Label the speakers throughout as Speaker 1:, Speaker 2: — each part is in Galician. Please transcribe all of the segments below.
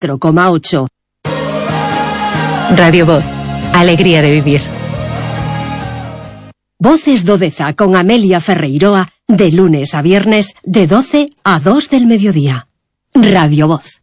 Speaker 1: 4,8.
Speaker 2: Radio Voz, alegría de vivir.
Speaker 1: Voces do Deza con Amelia Ferreiroa, de lunes a viernes, de 12 a 2 del mediodía. Radio Voz.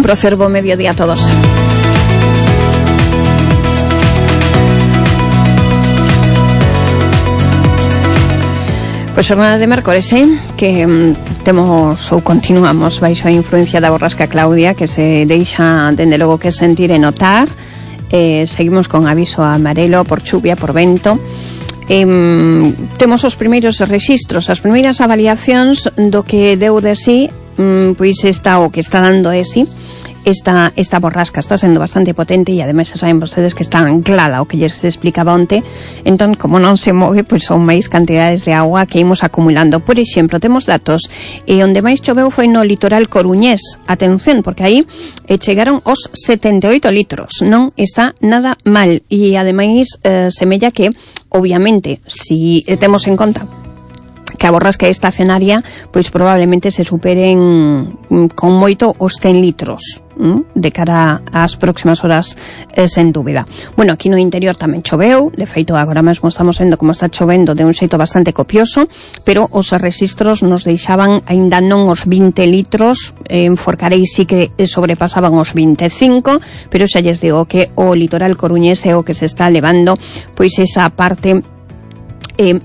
Speaker 3: Placer, buen mediodía a todos. Pois xornada de mércores, que temos ou continuamos baixo a influencia da borrasca Claudia, que se deixa dende logo que sentir e notar. Seguimos con aviso amarelo por chuvia, por vento. Temos os primeiros rexistros, as primeiras avaliacións do que deu de sí, pois está o que está dando de sí esta borrasca. Está sendo bastante potente e ademais xa saben vostedes que está anclada, o que lles explicaba onte. Entón, como non se move, pois son máis cantidades de agua que imos acumulando. Por exemplo, temos datos onde máis choveu foi no litoral coruñés. Atención, porque aí chegaron os 78 litros. Non está nada mal e ademais semella que, obviamente, si temos en conta que a borrasca estacionaria, pois probablemente se superen con moito os 100 litros de cara ás próximas horas, sen dúbida. Bueno, aquí no interior tamén choveu, de feito agora mesmo estamos vendo como está chovendo de un xeito bastante copioso, pero os registros nos deixaban aínda non os 20 litros, en Forcarei sí que sobrepasaban os 25, pero xa lles digo que o litoral coruñés é o que se está levando pois esa parte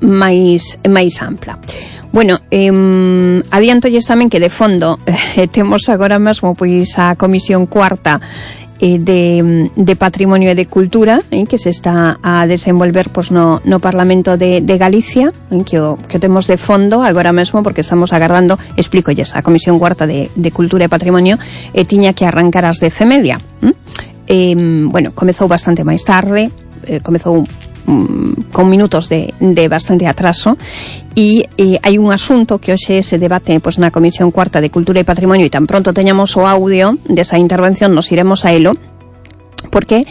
Speaker 3: máis ampla. Bueno, adiantolles tamén que de fondo temos agora mesmo pois a Comisión Cuarta de Patrimonio e de Cultura, que se está a desenvolver pois no Parlamento de Galicia, que o temos de fondo agora mesmo porque estamos agardando, explícolles, a Comisión Cuarta de Cultura e Patrimonio tiña que arrancar ás 10:30. Bueno, comezou bastante máis tarde, comezou con minutos de bastante atraso e hai un asunto que hoxe se debate pois na Comisión Cuarta de Cultura e Patrimonio e tan pronto teñamos o audio desa intervención nos iremos a elo, porque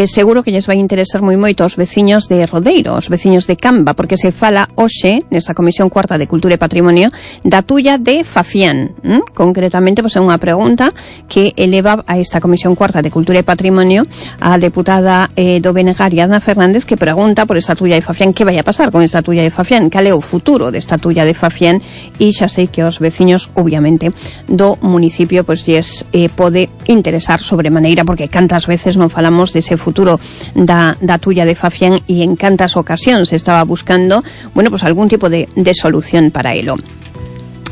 Speaker 3: seguro que lles vai interesar moi moito aos veciños de Rodeiro, aos veciños de Camba, porque se fala hoxe nesta Comisión Cuarta de Cultura e Patrimonio da tulla de Fafián. Concretamente, pois é unha pregunta que eleva a esta Comisión Cuarta de Cultura e Patrimonio a deputada do BNG Ariadna Fernández, que pregunta por esta tulla de Fafián, que vai a pasar con esta tulla de Fafián, cal é o futuro desta tulla de Fafián, e xa sei que os veciños, obviamente, do municipio pois lles pode interesar sobremaneira, porque cantas veces non falamos dese futuro da tulla de Fafián e en cantas ocasións se estaba buscando, bueno, pues algún tipo de solución para elo.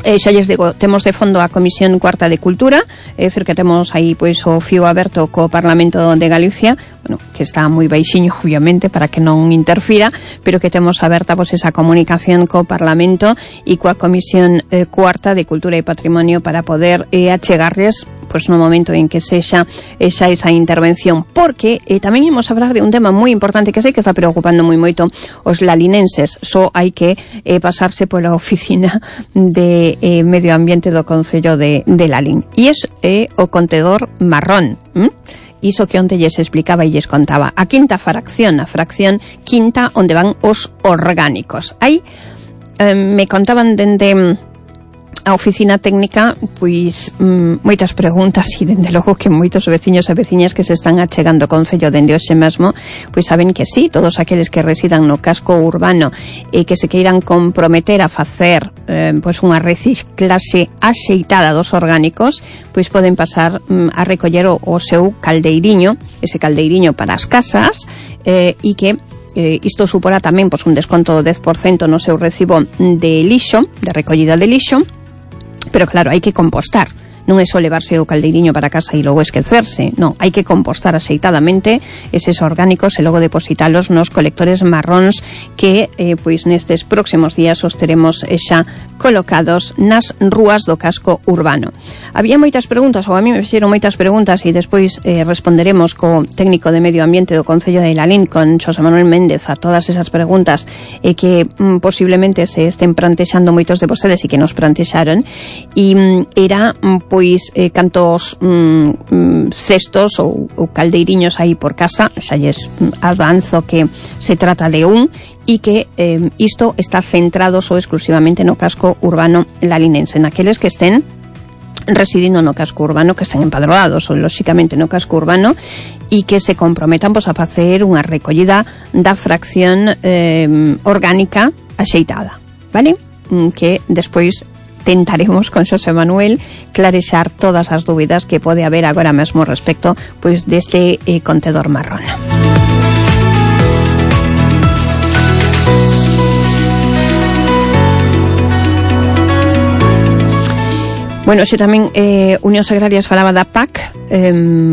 Speaker 3: Xa lles digo, temos de fondo a Comisión Cuarta de Cultura, é dicir que temos aí pois o fío aberto co Parlamento de Galicia, bueno, que está moi baixiño obviamente para que non interfira, pero que temos aberta pois esa comunicación co Parlamento e coa Comisión Cuarta de Cultura e Patrimonio para poder achegarles pois no momento en que sexa esa intervención, porque tamén imos a hablar de un tema moi importante que sei que está preocupando moi moito os lalinenses. Só hai que pasarse pola oficina de Medio Ambiente do Concello de Lalín, e é o contedor marrón. iso que onte lles explicaba e lles contaba. A quinta fracción, a fracción quinta onde van os orgánicos. Aí me contaban dende a oficina técnica, pois moitas preguntas e dende logo que moitos veciños e veciñas que se están achegando ao concello dende hoxe mesmo, pois saben que sí, todos aqueles que residan no casco urbano e que se queiran comprometer a facer pois unha reciclaxe axeitada dos orgánicos, pois poden pasar a recoller o seu caldeiriño, ese caldeiriño para as casas, e que isto suporá tamén pois un desconto do 10% no seu recibo de lixo, de recollida de lixo. Pero claro, hai que compostar. Non é só levarse o caldeiriño para casa e logo esquecerse. Non, hai que compostar axeitadamente eses orgánicos e logo depositalos nos colectores marróns que, pois nestes próximos días os teremos xa colocados nas rúas do casco urbano. Había moitas preguntas, ou a mí me fixeron moitas preguntas e despois responderemos co técnico de Medio Ambiente do Concello de Lalín, con Xosé Manuel Méndez, a todas esas preguntas que posiblemente se estén plantexando moitos de vostedes e que nos plantexaron, e era pois cantos cestos ou caldeiriños aí por casa. Xa lles avanzo que se trata de un e que isto está centrado só exclusivamente no casco urbano lalinense, naqueles que estén residindo no casco urbano, que estén empadroados ou lóxicamente no casco urbano, e que se comprometan pois, a facer unha recollida da fracción orgánica axeitada, vale? Que despois tentaremos con Xosé Manuel clarexar todas as dúbidas que pode haber agora mesmo respecto pois deste contedor marrón. Bueno, xe tamén Unións Agrarias falaba da PAC,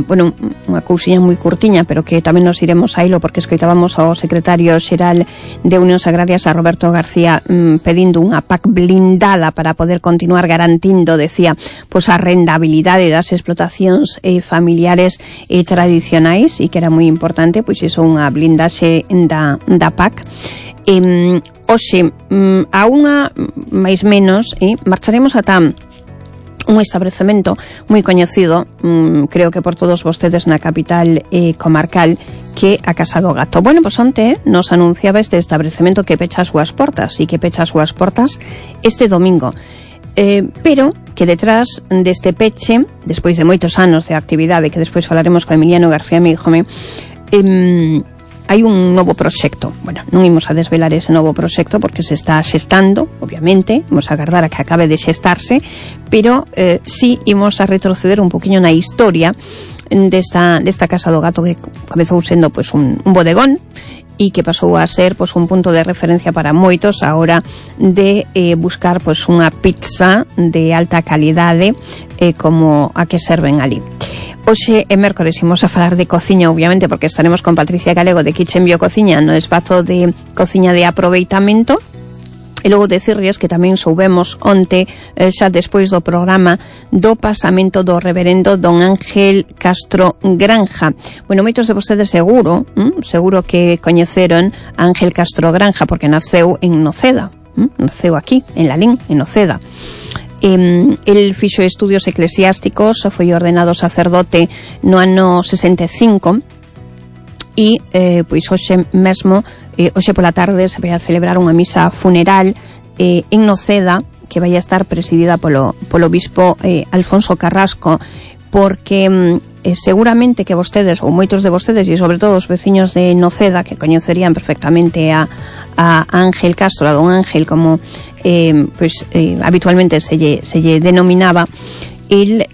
Speaker 3: bueno, unha cousiña moi curtiña, pero que tamén nos iremos a hilo porque escoitábamos ao secretario xeral de Unións Agrarias, a Roberto García, pedindo unha PAC blindada para poder continuar garantindo, decía, pois a rendabilidade das explotacións familiares e tradicionais, e que era moi importante, pois iso, unha blindaxe da PAC. Hoxe, a unha máis menos, marcharemos ata un establecemento moi coñecido, creo que por todos vostedes na capital comarcal, que a Casa do Gato. Bueno, pois onte nos anunciaba este establecemento que pecha as súas portas, e que pecha as súas portas este domingo. Pero que detrás deste peche, despois de moitos anos de actividade, que despois falaremos con Emiliano García Míjome, hai un novo proxecto. Bueno, non imos a desvelar ese novo proxecto porque se está xestando, obviamente, imos a agardar a que acabe de xestarse, pero sí imos a retroceder un poquinho na historia desta Casa do Gato, que comezou sendo pois un bodegón e que pasou a ser pois un punto de referencia para moitos a hora de buscar pois unha pizza de alta calidade como a que serven ali. Hoxe é mércores, imos a falar de cociña, obviamente, porque estaremos con Patricia Galego de Kitchen Biocociña no espazo de cociña de aproveitamento. E logo decirles que tamén soubemos onte, xa despois do programa, do pasamento do reverendo don Ángel Castro Granja. Bueno, moitos de vostedes seguro que coñeceron a Ángel Castro Granja porque naceu en Noceda, naceu aquí, en Lalín, en Noceda. El fixo estudios eclesiásticos, foi ordenado sacerdote no ano 65 e pois hoxe mesmo, hoxe pola tarde se vai a celebrar unha misa funeral en Noceda, que vai a estar presidida polo bispo Alfonso Carrasco, porque seguramente que vostedes, ou moitos de vostedes, e sobre todo os veciños de Noceda, que coñecerían perfectamente a Ángel Castro, a don Ángel, como habitualmente se lle denominaba. El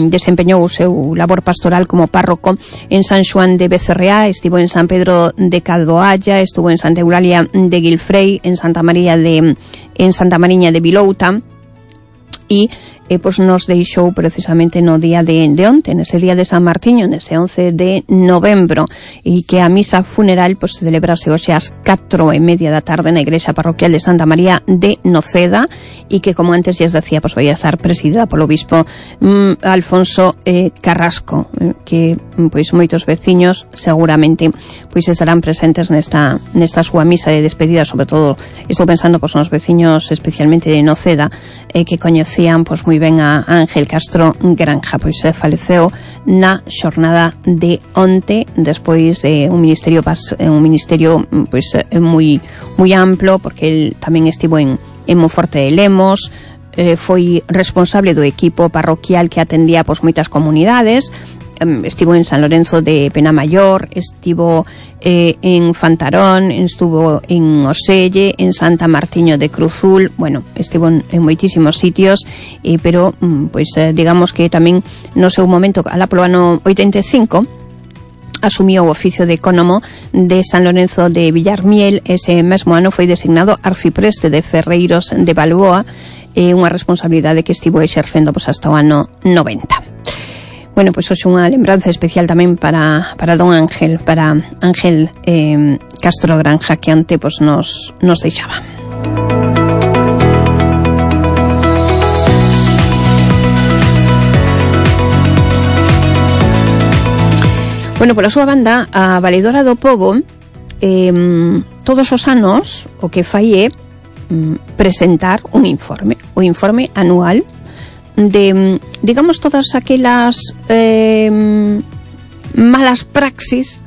Speaker 3: desempeñou o seu labor pastoral como párroco en San Xoán de Becerreá, estivo en San Pedro de Cadoalla, estuvo en Santa Eulalia de Guilfrei, en Santa Mariña de Vilouta, e pois nos deixou precisamente no día de onte, nese día de San Martiño, nese 11 de novembro, e que a misa funeral pois se celebrase hoxe ás 4:30 da tarde na igrexa parroquial de Santa María de Noceda, e que, como antes lles decía, pois vai a estar presidida polo bispo Alfonso Carrasco, que pois moitos veciños seguramente pois estarán presentes nesta súa misa de despedida. Sobre todo estou pensando pois nos veciños especialmente de Noceda, que coñecían pois moi ben a Ángel Castro Granja, pois faleceu na xornada de onte despois de un ministerio pois moi amplo, porque el tamén estivo en Monforte de Lemos, foi responsable do equipo parroquial que atendía pois moitas comunidades. Estivo en San Lorenzo de Penamayor, estivo en Fantarón, estuvo en Oselle, en Santa Martiño de Cruzul, bueno, estivo en moitísimos sitios, pero pois digamos que tamén no seu momento, alá polo ano 85, asumiu o oficio de ecónomo de San Lorenzo de Villarmiel. Ese mesmo ano foi designado arcipreste de Ferreiros de Balboa, unha responsabilidade que estivo exercendo pois hasta o ano 90. Bueno, pois hoxe unha lembranza especial tamén para don Ángel, para Ángel Castro Granja, que ante pois nos deixaba. Bueno, pola súa banda, a Valedora do Pobo todos os anos o que fai é presentar un informe, o informe anual de, digamos, todas aquelas malas praxis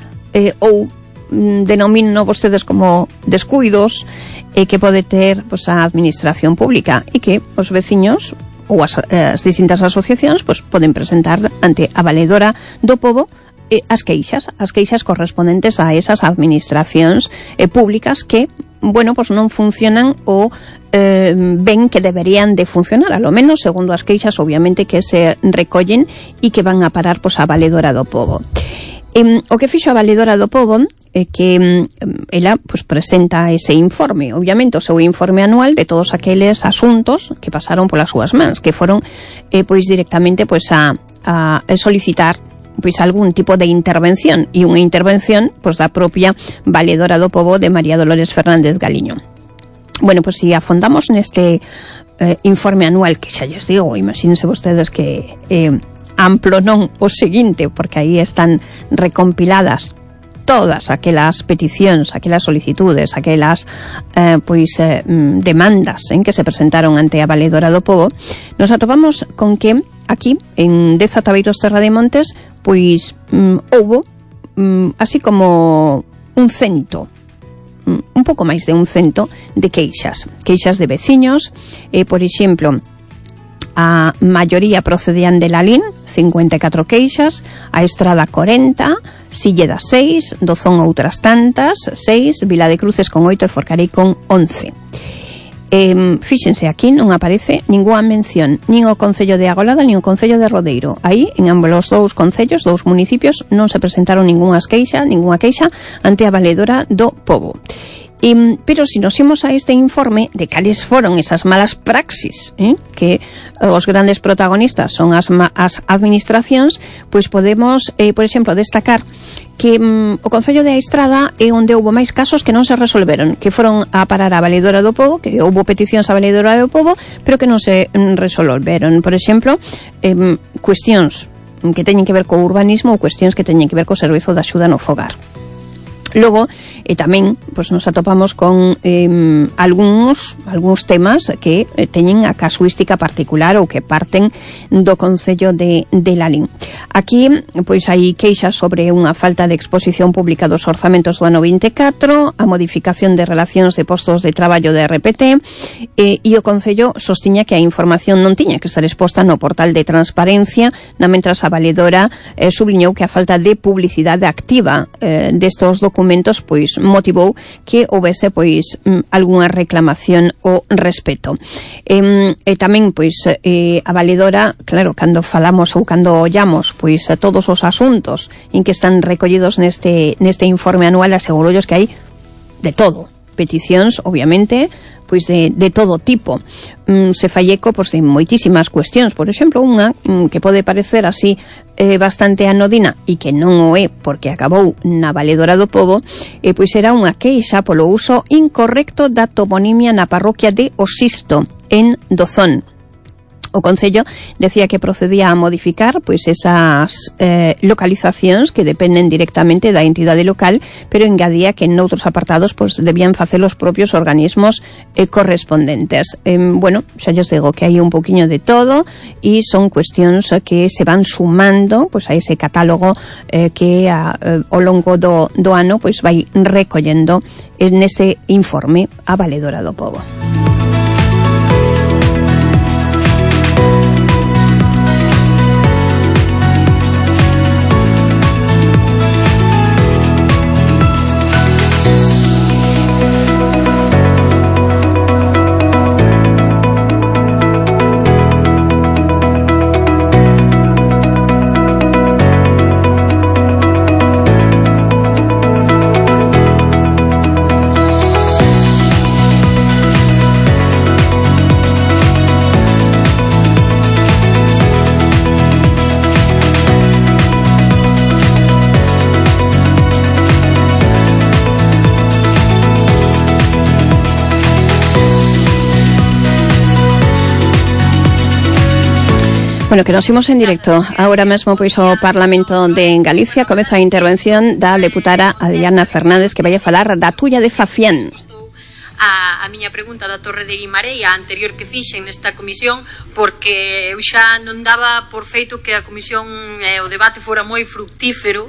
Speaker 3: ou denomino vostedes como descuidos que pode ter pois, a administración pública e que os veciños ou as distintas asociacións pois, poden presentar ante a Valedora do Pobo as queixas correspondentes a esas administracións públicas que, bueno, pois non funcionan ou ven que deberían de funcionar, a lo menos segundo as queixas, obviamente, que se recollen e que van a parar pois, a Valedora do Pobo. O que fixo a Valedora do Pobo é que ela pois, presenta ese informe, obviamente o seu informe anual de todos aqueles asuntos que pasaron polas súas mans, que foron pois directamente pois a solicitar pois algún tipo de intervención, e unha intervención pois da propia Valedora do Pobo de María Dolores Fernández Galiño. Bueno, pois si afondamos neste informe anual, que xa lles digo, imagínense vostedes que amplo non o seguinte, porque aí están recompiladas todas aquelas peticións, aquelas solicitudes, aquelas demandas que se presentaron ante a Valedora do Pobo, nos atopamos con que aquí, en Deza Tabeiros Terra de Montes, pois houbo así como un pouco máis de 100 de queixas de veciños, por exemplo, a maioría procedían de Lalín, 54 queixas, a Estrada 40, Silleda 6, Dozón outras tantas, 6, Vila de Cruces con 8 e Forcarei con 11. Fíxense, aquí non aparece ninguna mención nin o Concello de Agolada nin o Concello de Rodeiro. Aí, en ambos os dous concellos, dous municipios, non se presentaron ninguna queixa ante a Valedora do Pobo. Pero se nos imos a este informe de cales foron esas malas praxis que os grandes protagonistas son as administracións, pois podemos, por exemplo, destacar que o Concello de Estrada é onde houbo máis casos que non se resolveron, que foron a parar a Valedora do Pobo, que houbo peticións a Valedora do Pobo, pero que non se resolveron. Por exemplo, cuestións que teñen que ver co urbanismo ou cuestións que teñen que ver co servizo de axuda no fogar. Logo, tamén pois, nos atopamos con algúns temas que teñen a casuística particular ou que parten do Concello de Lalín. Aquí, pois, hai queixas sobre unha falta de exposición pública dos orzamentos do ano 24, a modificación de relacións de postos de traballo de RPT, e o Concello sostiña que a información non tiña que estar exposta no portal de transparencia, na mentras a Valedora subliñou que a falta de publicidade activa destos documentos pois motivou que houvese pois algunha reclamación ao respecto. Tamén pois a Valedora, claro, cando falamos ou cando ollamos pois todos os asuntos en que están recollidos neste informe anual, asegurollos que hai de todo, peticións, obviamente, pois de todo tipo. Se fai eco pois, de moitísimas cuestións. Por exemplo, unha que pode parecer así bastante anodina e que non o é porque acabou na Valedora do Pobo, pois era unha queixa polo uso incorrecto da toponimia na parroquia de Osisto, en Dozón. O Concello decía que procedía a modificar pois esas localizacións que dependen directamente da entidade local, pero engadía que en outros apartados pois debían facer os propios organismos correspondentes. Bueno, xa lles digo que hai un poquinho de todo e son cuestións que se van sumando pois a ese catálogo que ao longo do ano pois vai recollendo nese informe a Valedora do Pobo. Bueno, que nos imos en directo agora mesmo pois ao Parlamento de Galicia. Comeza a intervención da deputada Adriana Fernández, que vai a falar da tulla de Fafián.
Speaker 4: A miña pregunta da Torre de Guimarães, a anterior que fixen nesta comisión, porque eu xa non daba por feito que a comisión o debate fora moi fructífero,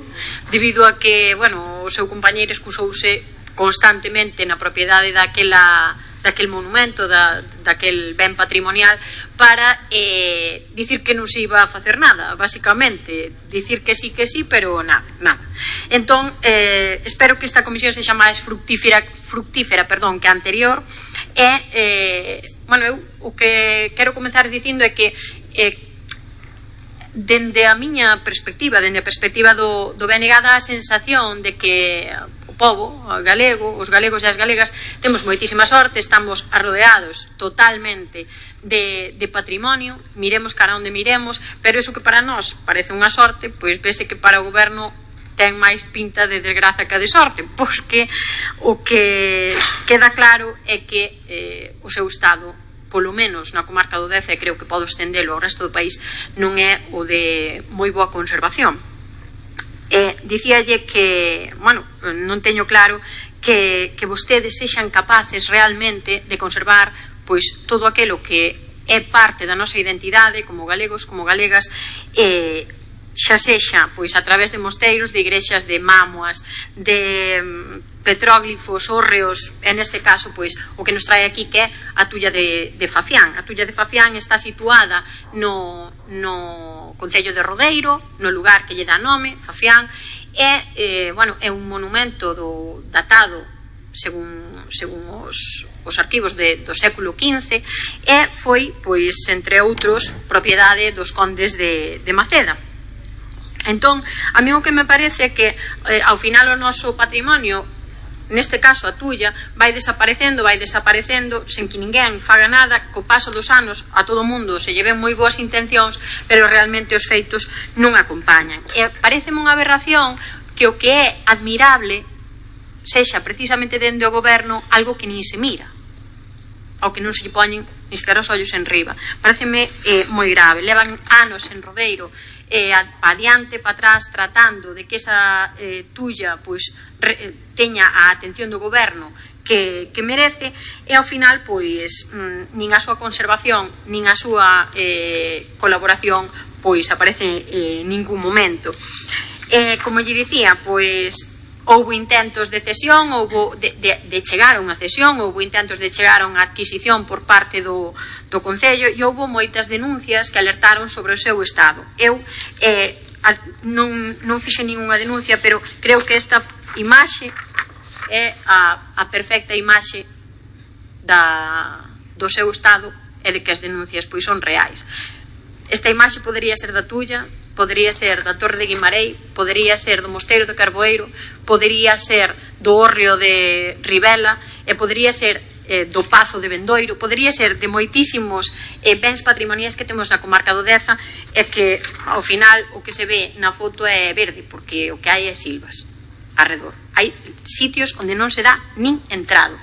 Speaker 4: debido a que, bueno, o seu compañeiro excusouse constantemente na propiedade daquel monumento, daquel ben patrimonial, para dicir que non se iba a facer nada, basicamente dicir que sí, pero nada. Entón, espero que esta comisión sexa máis fructífera que a anterior. Bueno, eu o que quero comenzar dicindo é que dende a miña perspectiva, dende a perspectiva do BNG, dá a sensación de que pobo galego, os galegos e as galegas temos moitísima sorte, estamos arrodeados totalmente de patrimonio, miremos cara onde miremos, pero iso que para nós parece unha sorte, pois vese que para o goberno ten máis pinta de desgraza que de sorte, porque o que queda claro é que o seu estado, polo menos na comarca do Deza, e creo que podo estendelo ao resto do país, non é o de moi boa conservación. Dicíalle que, bueno, non teño claro que vostedes sexan capaces realmente de conservar pois todo aquilo que é parte da nosa identidade como galegos, como galegas, xa sexa pois a través de mosteiros, de igrexas, de mámoas, de petróglifos, hórreos, e neste caso pois o que nos trae aquí, que é a tulla de Fafián. A tulla de Fafián está situada no Concello de Rodeiro, no lugar que lle dá nome, Fafián, e, bueno, é un monumento datado según os arquivos do século XV, e foi, pois, entre outros, propiedade dos condes de Maceda. Entón, a mí o que me parece é que ao final o noso patrimonio, neste caso a tulla, vai desaparecendo sen que ninguén faga nada. Co paso dos anos a todo o mundo se lleven moi boas intencións, pero realmente os feitos non acompañan. E pareceme unha aberración que o que é admirable sexa precisamente dende o goberno algo que nin se mira, ao que non se lle poñen nin sequera os ollos en riba. Pareceme moi grave. Levan anos en Rodeiro, pa adiante, pa atrás, tratando de que esa tulla pois teña a atención do goberno que merece, e ao final pois nin a súa conservación nin a súa colaboración pois aparece en ningún momento. Como lle dicía, pois houbo intentos de cesión, houbo de chegar a unha cesión, houbo intentos de chegar a unha adquisición por parte do Concello, e houbo moitas denuncias que alertaron sobre o seu estado. Eu non fixen ninguna denuncia, pero creo que esta imaxe é a perfecta imaxe do seu estado, e de que as denuncias pois son reais. Esta imaxe podería ser da tulla, podería ser da Torre de Guimarães, podería ser do Mosteiro de Carboeiro, podería ser do Hórreo de Ribela, e podería ser do Pazo de Bendoiro, podería ser de moitísimos bens patrimoniais que temos na comarca do Deza, e que ao final o que se ve na foto é verde, porque o que hai é silvas arredor. Hai sitios onde non se dá nin entrado.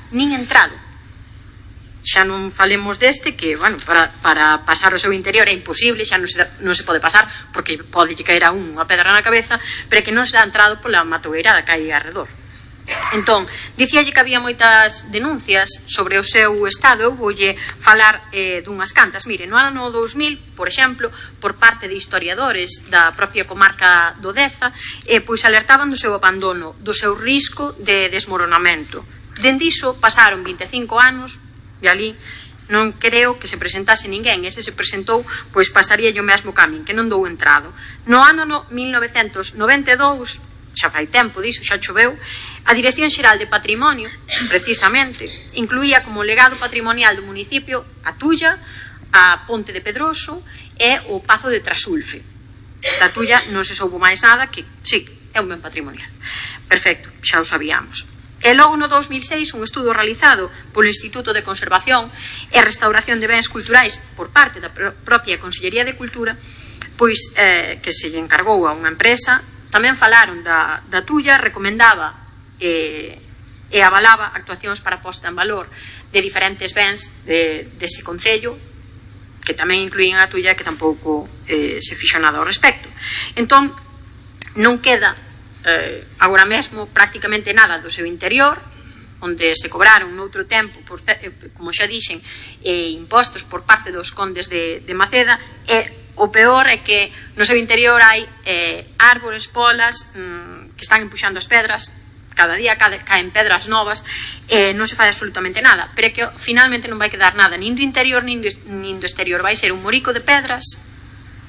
Speaker 4: xa non falemos deste, que, bueno, para pasar o seu interior é imposible, xa non se pode pasar, porque pode caer a unha pedra na cabeza, pero que non se dá entrado pola matoeira da que hai arredor. Entón, dicíalle que había moitas denuncias sobre o seu estado. Eu voulle falar dunhas cantas. Mire, no ano 2000, por exemplo, por parte de historiadores da propia comarca do Deza, pois alertaban do seu abandono, do seu risco de desmoronamento. Dende iso pasaron 25 anos e ali non creo que se presentase ninguén. Ese se presentou, pois pasaría o mesmo camín, que non dou entrado. No ano 1992, xa fai tempo diso, xa choveu, a Dirección Xeral de Patrimonio, precisamente, incluía como legado patrimonial do municipio a Tulla, a Ponte de Pedroso e o Pazo de Trasulfe. Da Tulla non se soubo máis nada, que sí, é un ben patrimonial. Perfecto, xa o sabíamos. E logo no 2006, un estudo realizado polo Instituto de Conservación e Restauración de Bens Culturais por parte da propia Consellería de Cultura, pois que se lle encargou a unha empresa. Tamén falaron da Tulla, recomendaba e avalaba actuacións para posta en valor de diferentes bens dese concello, que tamén incluían a Tulla, que tampouco se fixo nada ao respecto. Entón, non queda agora mesmo prácticamente nada do seu interior, onde se cobraron noutro tempo, como xa dixen, impostos por parte dos condes de Maceda, e o peor é que no seu interior hai árbores, polas, que están empuxando as pedras, cada día caen pedras novas, non se fai absolutamente nada, pero é que finalmente non vai quedar nada, nin do interior nin do exterior, vai ser un morico de pedras,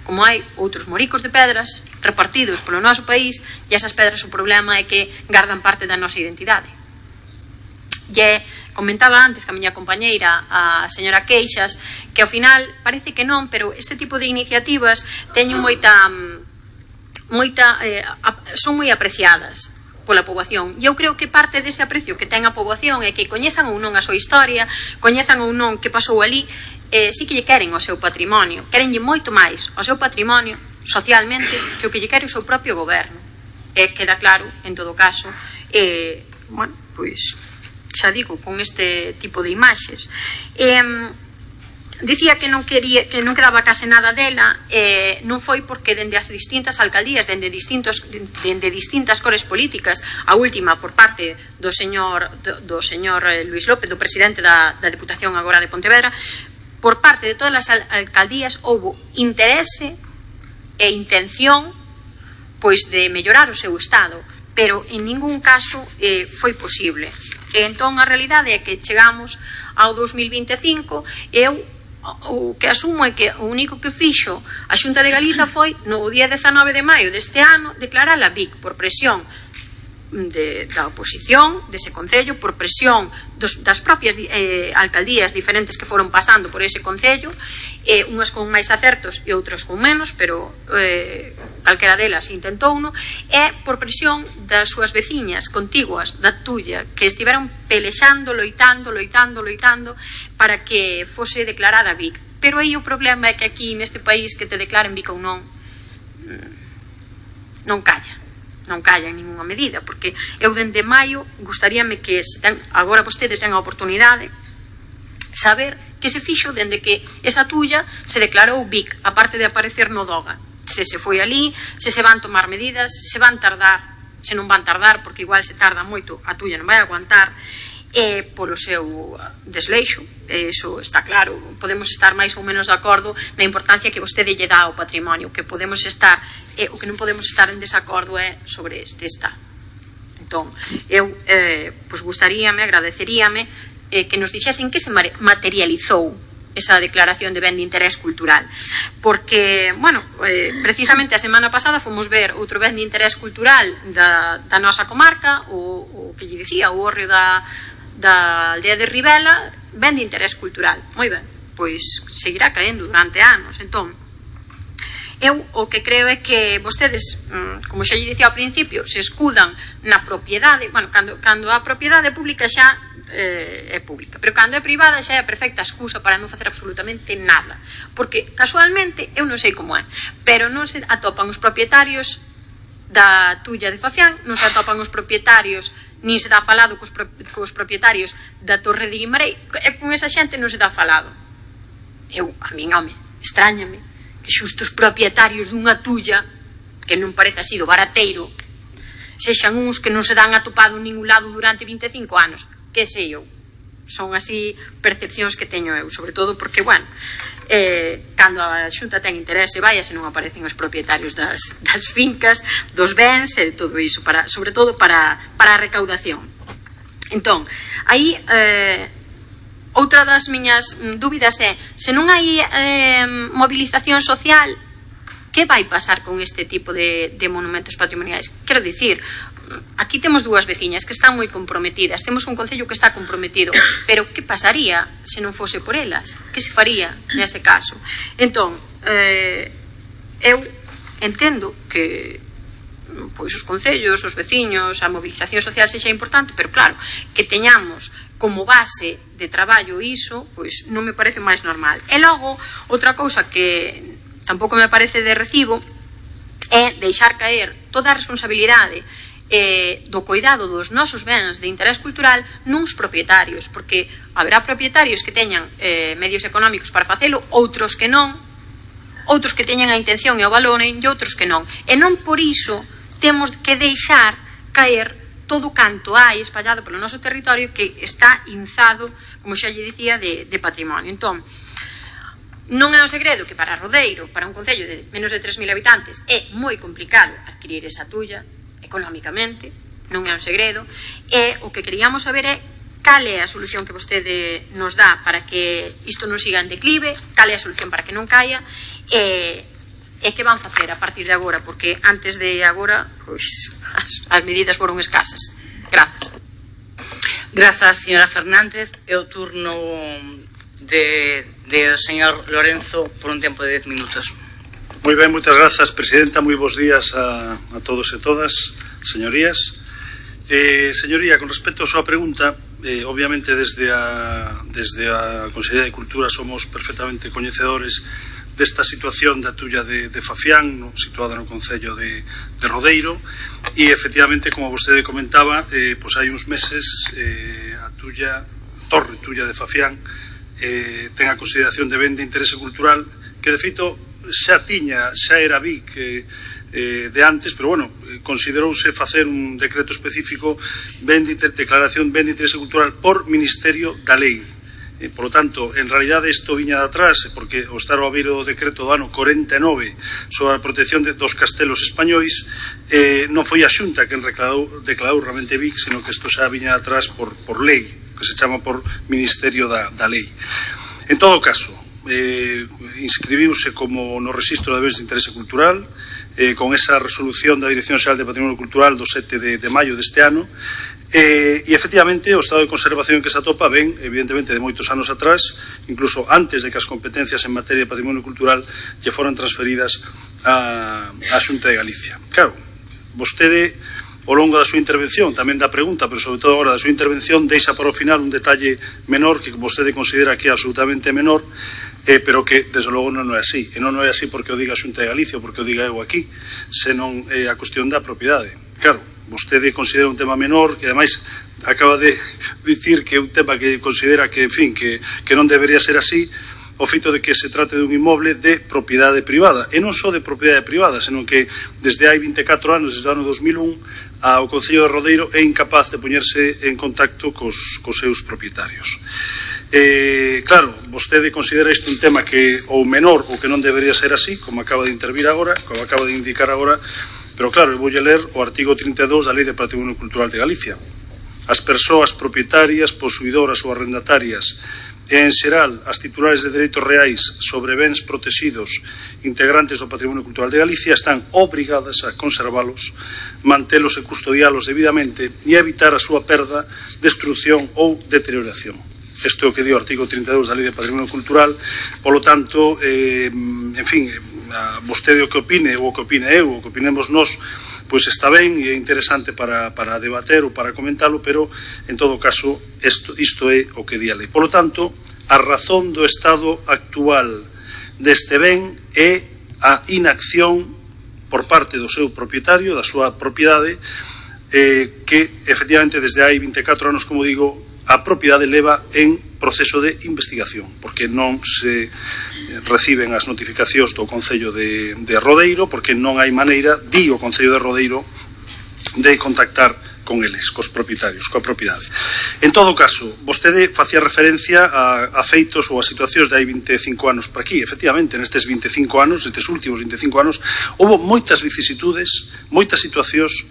Speaker 4: como hai outros moricos de pedras repartidos polo noso país, e esas pedras o problema é que gardan parte da nosa identidade. E comentaba antes que a miña compañeira, a señora Queixas, que ao final parece que non, pero este tipo de iniciativas teñen son moi apreciadas pola poboación, e eu creo que parte dese aprecio que ten a poboación é que coñezan ou non a súa historia, coñezan ou non que pasou ali, sí que lle queren o seu patrimonio, querenlle moito máis o seu patrimonio socialmente que o que lle quere o seu propio goberno. E queda claro, en todo caso, bueno, pois xa digo, con este tipo de imaxes. Dicía que non quedaba case nada dela, non foi porque dende as distintas alcaldías, dende distintas cores políticas, a última por parte do señor Luis López, do presidente da Deputación agora de Pontevedra, por parte de todas as alcaldías houbo interese e intención pois de mellorar o seu estado, pero en ningún caso foi posible. E entón a realidade é que chegamos ao 2025 e eu o que asumo é que o único que fixo a Xunta de Galiza foi no día 19 de maio deste ano declarar a BIC por presión da oposición dese concello, por presión das propias alcaldías diferentes que foron pasando por ese concello, unhas con máis acertos e outras con menos, pero calquera delas intentouno, e por presión das súas veciñas contiguas da Tulla, que estiveron pelexando, loitando para que fose declarada BIC. Pero aí o problema é que aquí neste país que te declaren BIC ou non calla en ninguna medida, porque eu dende maio gustaríame que agora vostede ten a oportunidade saber que se fixo dende que esa Tulla se declarou BIC, aparte de aparecer no DOGA, se foi ali, se van tomar medidas, se van tardar, se non van tardar, porque igual se tarda moito, a Tulla non vai aguantar, polo seu desleixo, eso está claro. Podemos estar máis ou menos de acordo na importancia que vostede lle dá ao patrimonio, que podemos estar, o que non podemos estar en desacordo é sobre este estado. Entón, eu gustaríame, agradeceríame que nos dixesen que se materializou esa declaración de ben de interés cultural, porque, bueno, precisamente a semana pasada fomos ver outro ben de interés cultural da nosa comarca, o que lle dicía, o hórreo da aldea de Ribela, ben de interés cultural. Moi ben, pois seguirá caendo durante anos. Entón, eu o que creo é que vostedes, como xa lle dicía ao principio, se escudan na propiedade. Bueno, cando a propiedade pública xa é pública, pero cando é privada xa é a perfecta excusa para non facer absolutamente nada, porque casualmente, eu non sei como é, pero non se atopan os propietarios da Tulla de Fafián, non se atopan os propietarios nin se dá falado cos propietarios da Torre de Guimarães, e con esa xente non se dá falado. A min, home, extrañame que xusto os propietarios dunha tulla, que non parece así do barateiro, sexan uns que non se dan atopado en ningún lado durante 25 anos. Que sei eu? Son así percepcións que teño eu, sobre todo porque, bueno, cando a Xunta ten interese, vai, se non aparecen os propietarios das fincas, dos bens e todo iso, sobre todo para a recaudación. Entón, aí outra das miñas dúbidas é, se non hai movilización social, que vai pasar con este tipo de monumentos patrimoniais? Quero dicir, aquí temos dúas veciñas que están moi comprometidas, temos un concello que está comprometido, pero que pasaría se non fose por elas? Que se faría nese caso? Entón, eu entendo que pois os concellos, os veciños, a movilización social sexa importante, pero claro, que teñamos como base de traballo iso, pois non me parece máis normal. E logo, outra cousa que tampouco me parece de recibo é deixar caer toda a responsabilidade do cuidado dos nosos bens de interés cultural nuns propietarios, porque haberá propietarios que teñan medios económicos para facelo, outros que non, outros que teñan a intención e o valoren e outros que non, e non por iso temos que deixar caer todo o canto hai espallado polo noso territorio que está inzado, como xa lle dicía, de patrimonio. Entón, non é un segredo que para Rodeiro, para un concello de menos de 3.000 habitantes, é moi complicado adquirir esa tulla económicamente, non é un segredo, e o que queríamos saber é cal é a solución que vostede nos dá para que isto non siga en declive, cal é a solución para que non caia, e que van facer a partir de agora, porque antes de agora pois as medidas foron escasas. Grazas.
Speaker 5: Grazas, señora Fernández. É o turno de o señor Lorenzo por un tempo de 10 minutos.
Speaker 6: Moi ben, moitas grazas, presidenta. Moi bons días a todos e todas, señorías. Señoría, con respecto a súa pregunta, obviamente desde a Consellería de Cultura somos perfectamente coñecedores desta situación da tulla de Fafián, situada no concello de Rodeiro, e efectivamente, como vostede comentaba, pois hai uns meses a torre tulla de Fafián ten a consideración de ben de interese cultural, que de feito xa era BIC de antes, pero bueno, considerouse facer un decreto específico declaración ben de interese cultural por Ministerio da Lei. Por lo tanto, en realidade isto viña de atrás, porque o estar ao abeiro do decreto do ano 49 sobre a protección dos castelos españois, non foi a Xunta quen declarou realmente BIC, sino que isto xa viña de atrás por lei, que se chama por Ministerio da Lei. En todo caso, inscribiuse como no Rexistro de Bens de Interese Cultural, con esa resolución da Dirección Xeral de Patrimonio Cultural do 7 de maio deste ano, e efectivamente o estado de conservación que se atopa ven, evidentemente, de moitos anos atrás, incluso antes de que as competencias en materia de patrimonio cultural lle foran transferidas á Xunta de Galicia. Claro, vostede, ao longo da súa intervención, tamén da pregunta, pero sobre todo agora da súa intervención, deixa para o final un detalle menor que vostede considera que é absolutamente menor, pero que, desde logo, non é así. E non é así porque o diga a Xunta de Galicia ou porque o diga eu aquí, senón a cuestión da propiedade. Claro, vostede considera un tema menor, que ademais acaba de dicir que é un tema que considera que, en fin, que non debería ser así, o feito de que se trate dun inmoble de propiedade privada, e non só de propiedade privada, senón que desde hai 24 anos, desde o ano 2001, o Concello de Rodeiro é incapaz de poñerse en contacto cos seus propietarios. Claro, vostede considera isto un tema que ou menor ou que non debería ser así, como acaba de intervir agora, como acaba de indicar agora, pero claro, eu voulle ler o artigo 32 da Lei de Patrimonio Cultural de Galicia. As persoas propietarias, posuidoras ou arrendatarias e, en xeral, as titulares de dereitos reais sobre bens protegidos integrantes do patrimonio cultural de Galicia están obrigadas a conservalos, mantelos e custodialos debidamente e evitar a súa perda, destrucción ou deterioración. Isto é o que di o artigo 32 da Lei de Patrimonio Cultural. Polo tanto, en fin, vostede o que opine, ou o que opine eu, ou o que opinemos nós, pois está ben e é interesante para debater ou para comentalo, pero, en todo caso, isto é o que di a lei. Polo tanto, a razón do estado actual deste ben é a inacción por parte do seu propietario, da súa propiedade, que efectivamente desde hai 24 anos, como digo, a propiedade leva en proceso de investigación, porque non se reciben as notificacións do Concello de Rodeiro, porque non hai maneira, di o Concello de Rodeiro, de contactar con eles, cos propietarios, coa propiedade. En todo caso, vostede facía referencia a feitos ou a situacións de hai 25 anos para aquí. Efectivamente, nestes 25 anos, nestes últimos 25 anos, houve moitas vicisitudes, moitas situacións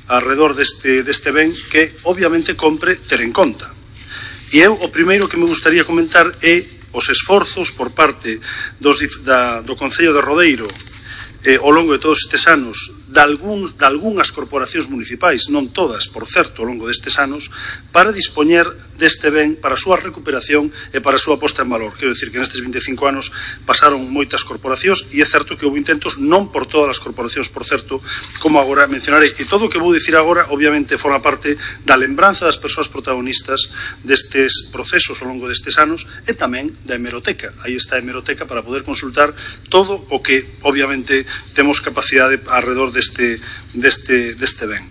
Speaker 6: alrededor deste ben que obviamente compre ter en conta. E eu o primeiro que me gustaría comentar é os esforzos por parte do Concello de Rodeiro ao longo de todos estes anos de algunhas corporacións municipais, non todas, por certo, ao longo destes anos, para dispoñer deste ben para a súa recuperación e para a súa posta en valor. Quero dicir que nestes 25 anos pasaron moitas corporacións e é certo que houve intentos, non por todas as corporacións, por certo, como agora mencionarei. E todo o que vou dicir agora, obviamente, forma parte da lembranza das persoas protagonistas destes procesos ao longo destes anos e tamén da hemeroteca. Aí está a hemeroteca para poder consultar todo o que, obviamente, temos capacidade alrededor deste ben.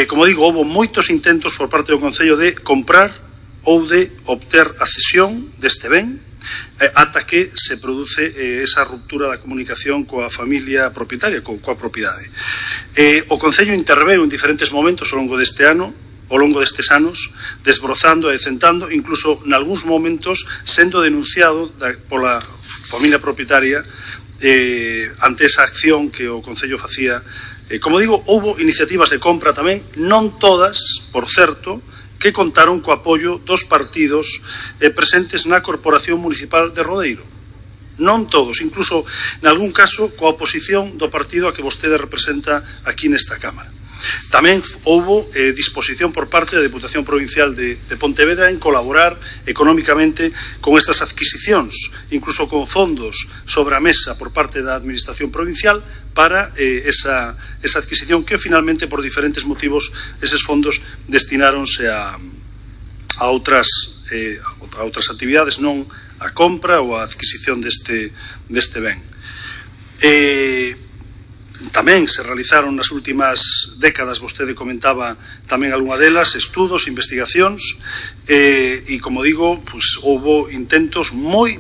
Speaker 6: Como digo, houve moitos intentos por parte do Concello de comprar ou de obter a cesión deste ben ata que se produce esa ruptura da comunicación coa familia propietaria, coa propiedade. O Concello interveu en diferentes momentos ao longo destes anos, desbrozando e decentando, incluso nalgúns momentos sendo denunciado pola familia propietaria ante esa acción que o Concello facía. Como digo, houve iniciativas de compra tamén, non todas, por certo, que contaron co apoio dos partidos presentes na Corporación Municipal de Rodeiro. Non todos, incluso, nalgún caso, coa oposición do partido a que vostede representa aquí nesta Cámara. Tamén houve disposición por parte da Deputación Provincial de Pontevedra en colaborar económicamente con estas adquisicións, incluso con fondos sobre a mesa por parte da Administración Provincial para esa adquisición que finalmente por diferentes motivos eses fondos destináronse a outras actividades, non a compra ou a adquisición deste ben. Tamén se realizaron nas últimas décadas, vostede comentaba tamén algunha delas, estudos, investigacións e, como digo, houve intentos moi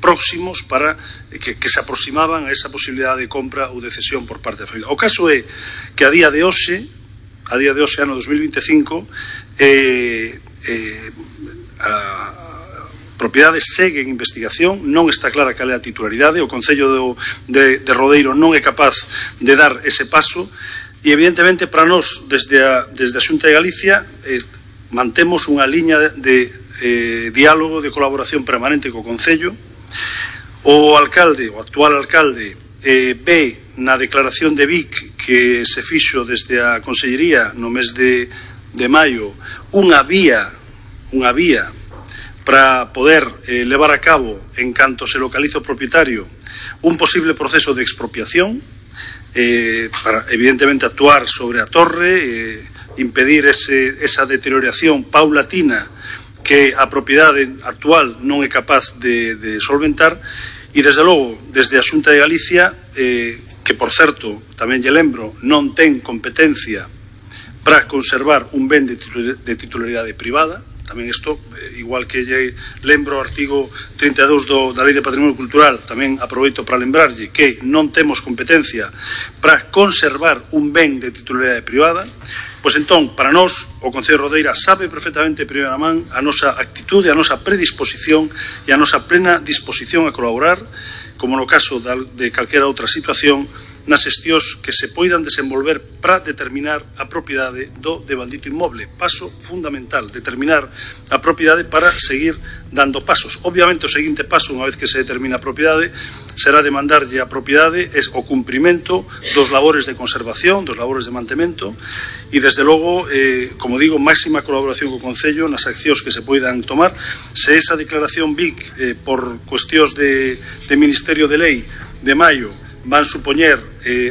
Speaker 6: próximos para que se aproximaban a esa posibilidade de compra ou de cesión por parte da familia. O caso é que a día de hoxe, ano 2025, a propiedade segue en investigación, non está clara cal é a titularidade, o Concello de Rodeiro non é capaz de dar ese paso e evidentemente para nós desde a Xunta de Galicia mantemos unha liña de diálogo, de colaboración permanente co Concello. O actual alcalde ve na declaración de Vic que se fixo desde a Consellería no mes de maio unha vía para poder levar a cabo, en canto se localiza o propietario, un posible proceso de expropiación para, evidentemente, actuar sobre a torre, impedir esa deterioración paulatina que a propiedade actual non é capaz de solventar e, desde logo, desde a Xunta de Galicia, que, por certo, tamén lle lembro, non ten competencia para conservar un ben de titularidade privada. Tamén isto, igual que lle lembro o artigo 32 da Lei de Patrimonio Cultural, tamén aproveito para lembrarlle que non temos competencia para conservar un ben de titularidade privada. Pois entón, para nós, o Concello de Rodeira sabe perfectamente de primeira man a nosa actitude, a nosa predisposición e a nosa plena disposición a colaborar, como no caso de calquera outra situación, nas xestións que se poidan desenvolver para determinar a propiedade do devandito inmoble. Paso fundamental, determinar a propiedade para seguir dando pasos. Obviamente o seguinte paso, unha vez que se determina a propiedade, será demandarlle a propiedade o cumprimento dos labores de conservación, dos labores de mantemento e, desde logo, como digo, máxima colaboración co Concello nas accións que se poidan tomar. Se esa declaración BIC por cuestións de Ministerio de Lei de maio van supoñer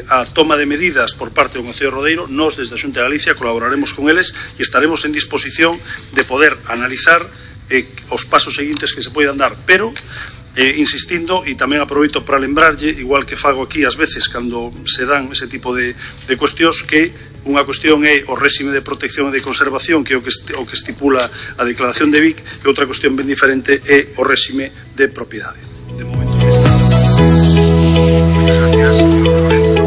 Speaker 6: a toma de medidas por parte do Concello de Rodeiro, nós desde a Xunta de Galicia colaboraremos con eles e estaremos en disposición de poder analizar os pasos seguintes que se poidan dar, pero insistindo, e tamén aproveito para lembrarlle, igual que fago aquí ás veces cando se dan ese tipo de cuestións, que unha cuestión é o réxime de protección e de conservación, que é o que estipula a Declaración de Vic, e outra cuestión ben diferente é o réxime de propiedade. De momento que está. Gracias, señor Lorenzo.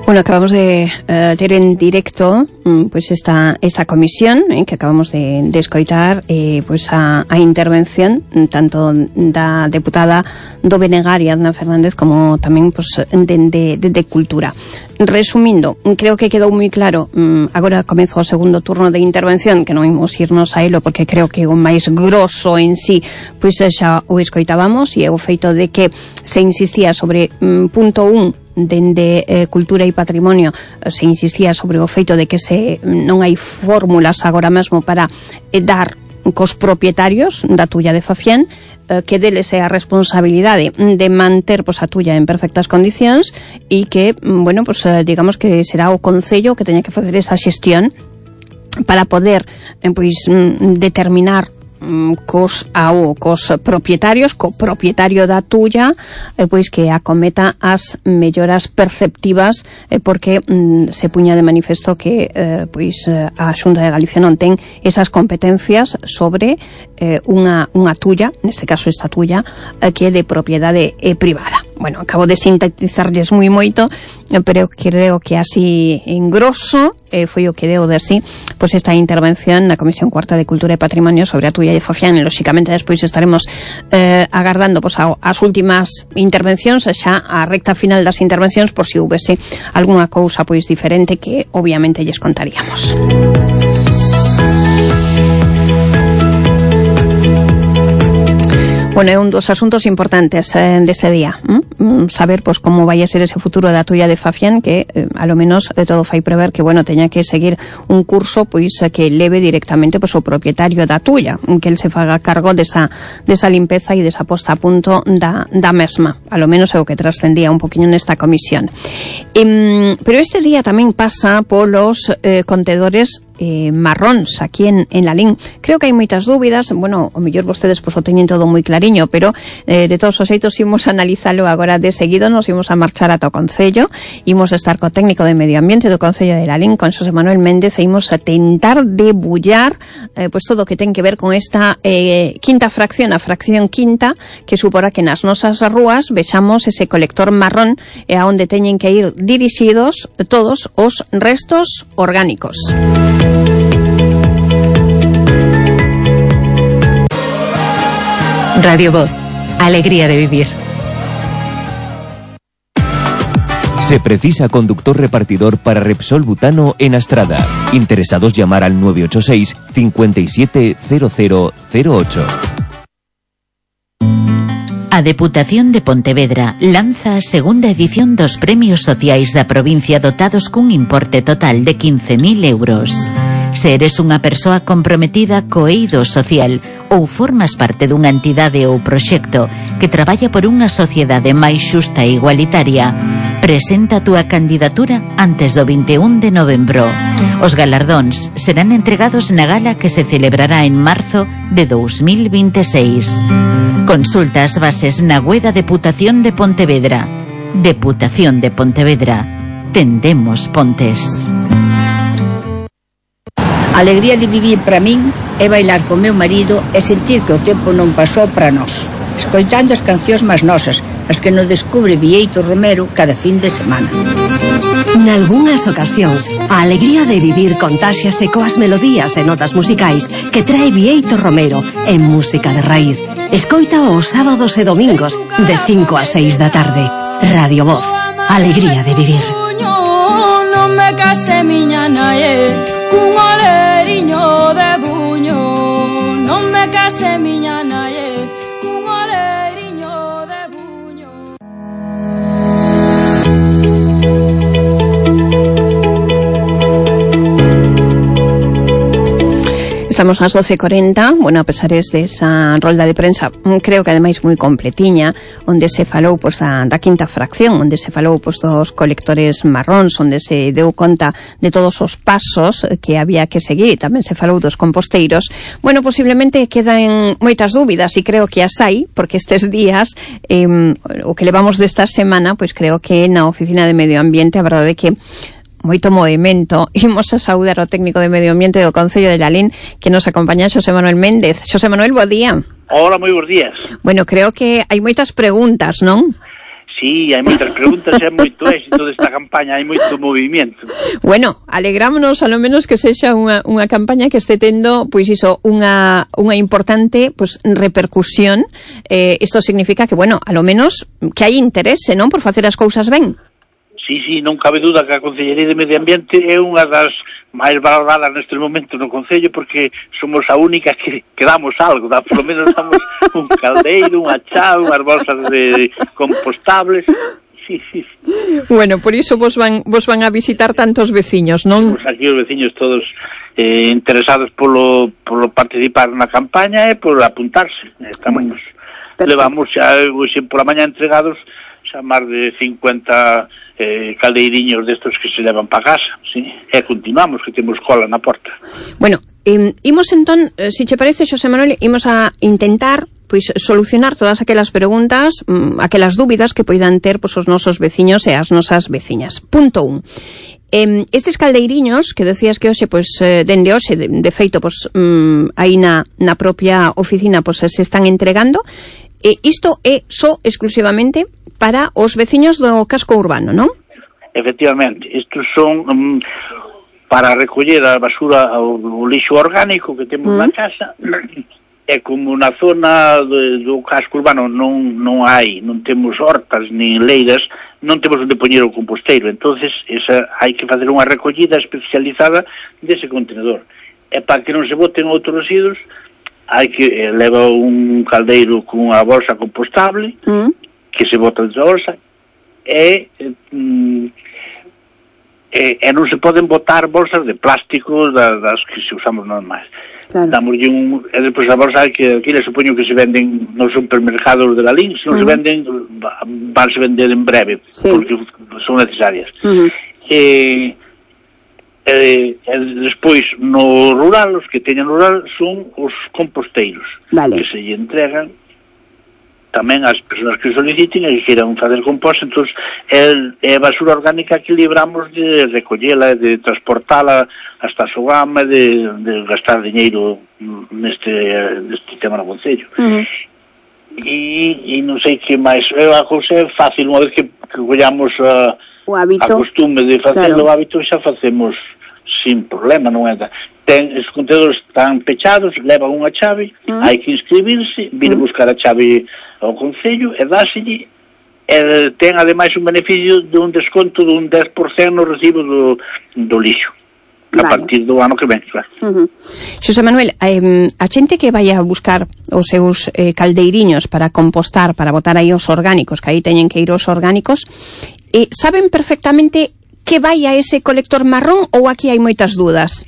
Speaker 3: Bueno, acabamos de ter en directo pues esta comisión que acabamos de escoitar, pues a intervención tanto da deputada do Benegar, Adna Fernández, como tamén pues de Cultura. Resumindo, creo que quedou moi claro. Agora comezo o segundo turno de intervención, que non imos irnos a elo porque creo que o máis grosso en sí pois xa o escoitábamos, e é o feito de que se insistía sobre punto 1 dende Cultura e Patrimonio, se insistía sobre o feito de que non hai fórmulas agora mesmo para dar cos propietarios da tulla de Fafién, que deles é a responsabilidade de manter a tulla en perfectas condicións, e que, bueno, digamos que será o Concello que teña que facer esa xestión para poder determinar cos propietarios, co propietario da tulla, pois que acometa as melloras perceptivas, porque se puña de manifesto que a Xunta de Galicia non ten esas competencias sobre unha tulla, neste caso esta tulla, que é de propiedade privada. Bueno, acabo de sintetizarlles moi moito, pero creo que así en grosso foi o que deu de así pois esta intervención na Comisión Cuarta de Cultura e Patrimonio sobre a tulla de Fafián. E lóxicamente despois estaremos agardando as últimas intervencións, xa a recta final das intervencións, por si houvese algunha cousa diferente que obviamente lles contaríamos. Bueno, é un dos asuntos importantes deste día, saber como vai a ser ese futuro da tulla de Fafián, que a lo menos todo fai prever que, bueno, teña que seguir un curso que leve directamente o propietario da tulla, que el se faga cargo desa limpeza e desa posta a punto da mesma. A lo menos é o que trascendía un poquinho nesta comisión. Pero este día tamén pasa polos contedores marróns aquí en Lalín. Creo que hai moitas dúbidas, bueno, o mellor vostedes o teñen todo moi clariño, pero de todos os xeitos imos analizalo agora de seguido. Nos imos a marchar ata o Concello, imos estar co técnico de Medio Ambiente do Concello de Lalín, con Xosé Manuel Méndez, e imos a tentar debullar todo o que ten que ver con esta quinta fracción, a fracción quinta, que suporá que nas nosas rúas vexamos ese colector marrón a onde teñen que ir dirixidos todos os restos orgánicos.
Speaker 2: Radio Voz, alegría de vivir.
Speaker 7: Se precisa conductor repartidor para Repsol Butano en Astrada. Interesados llamar al 986 570008.
Speaker 8: A Deputación de Pontevedra lanza a segunda edición dos premios sociais da provincia dotados cun importe total de 15.000 euros. Se eres unha persoa comprometida co eido social ou formas parte dunha entidade ou proxecto que traballa por unha sociedade máis xusta e igualitaria, presenta a túa candidatura antes do 21 de novembro. Os galardóns serán entregados na gala que se celebrará en marzo de 2026. Consulta as bases na web da Deputación de Pontevedra. Deputación de Pontevedra. Tendemos pontes.
Speaker 9: A alegría de vivir para min é bailar co meu marido e sentir que o tempo non pasou para nós, escoitando as cancións máis nosas, as que nos descubre Bieito Romero cada fin de semana.
Speaker 1: Nalgúnas ocasións, a alegría de vivir contáxiase coas melodías e notas musicais que trae Bieito Romero en Música de Raíz. Escoita os sábados e domingos de 5 a 6 da tarde. Radio Voz, alegría de vivir.
Speaker 10: Non me case miña nae, cun oleriño de buño. Non me case miña nae, cun oleriño de buño.
Speaker 3: Estamos ás 12:40, bueno, a pesar desa rolda de prensa, creo que ademais moi completiña, onde se falou pois da quinta fracción, onde se falou pois dos colectores marróns, onde se deu conta de todos os pasos que había que seguir, e tamén se falou dos composteiros. Bueno, posiblemente quedan moitas dúbidas, e creo que as hai, porque estes días, o que levamos desta semana, pois creo que na Oficina de Medio Ambiente a verdade é que moito movimento. Imos a saudar o técnico de Medio Ambiente do Concello de Lalín, que nos acompaña, Xosé Manuel Méndez. Xosé Manuel, bo día.
Speaker 11: Hola, moi bons días.
Speaker 3: Bueno, creo que hai moitas preguntas, non?
Speaker 11: Sí, hai moitas preguntas, é moito éxito desta campaña, hai moito movimento.
Speaker 3: Bueno, alegrámonos ao menos que sexa unha campaña que este tendo, pois iso, unha importante pois repercusión. Isto significa que, bueno, a lo menos que hai interese, non, por facer as cousas ben.
Speaker 11: Sí, non cabe duda que a Concellería de Medio Ambiente é unha das máis valoradas neste momento no Concello, porque somos a única que damos algo, polo menos damos un caldeiro, unha chave, unhas bolsas de compostables. Sí.
Speaker 3: Bueno, por iso vos van a visitar tantos veciños, non?
Speaker 11: Pues aquí os veciños todos interesados polo participar na campaña e por apuntarse. Estamos, levamos xa hoxe pola mañá entregados xa máis de 50 caldeiriños destos que se levan para casa, sí? E continuamos, que temos cola na porta.
Speaker 3: Bueno, imos entón, se che parece, Xosé Manuel, imos a intentar pois solucionar todas aquelas preguntas, aquelas dúbidas que poidan ter pois os nosos veciños e as nosas veciñas. Punto 1. Estes caldeiriños que decías que hoxe, pois, dende hoxe, de feito, pois, aí na propia oficina, pois, se están entregando. Isto é só exclusivamente para os veciños do casco urbano, non?
Speaker 11: Efectivamente, estos son para recoller a basura, o lixo orgánico que temos na casa, e como na zona do casco urbano non temos hortas nin leiras, non temos onde poñer o composteiro, entonces hai que facer unha recollida especializada dese contenedor. E para que non se boten outros residuos, hai que leva un caldeiro con unha bolsa compostable, que se bota dentro da bolsa, e non se poden botar bolsas de plástico das que se usamos normais. Claro. Damoslle e despois a bolsa que aquí le supoño que se venden nos supermercados de Lalín, se non se venden, vanse vender en breve, porque son necesarias. Despois no rural, os que teñan rural son os composteiros, que se lle entregan tamén ás persoas que soliciten e que queiran facer compost. Entón é basura orgánica que libramos de recollela, de transportala hasta a Sogama, de gastar diñeiro neste tema no Concello. E non sei que máis, a cousa é fácil, unha vez que collamos a costume de facer o hábito, xa facemos sin problema, non é? Os contenedores están pechados, levan unha chave, hai que inscribirse, vir a buscar a chave ao Concello e dáselle, e ten ademais un beneficio de un desconto de un 10% no recibo do lixo a partir do ano que ven, claro.
Speaker 3: Xosé Manuel, a xente que vai a buscar os seus caldeiriños para compostar, para botar aí os orgánicos, que aí teñen que ir os orgánicos, saben perfectamente que vai a ese colector marrón ou aquí hai moitas dúdas?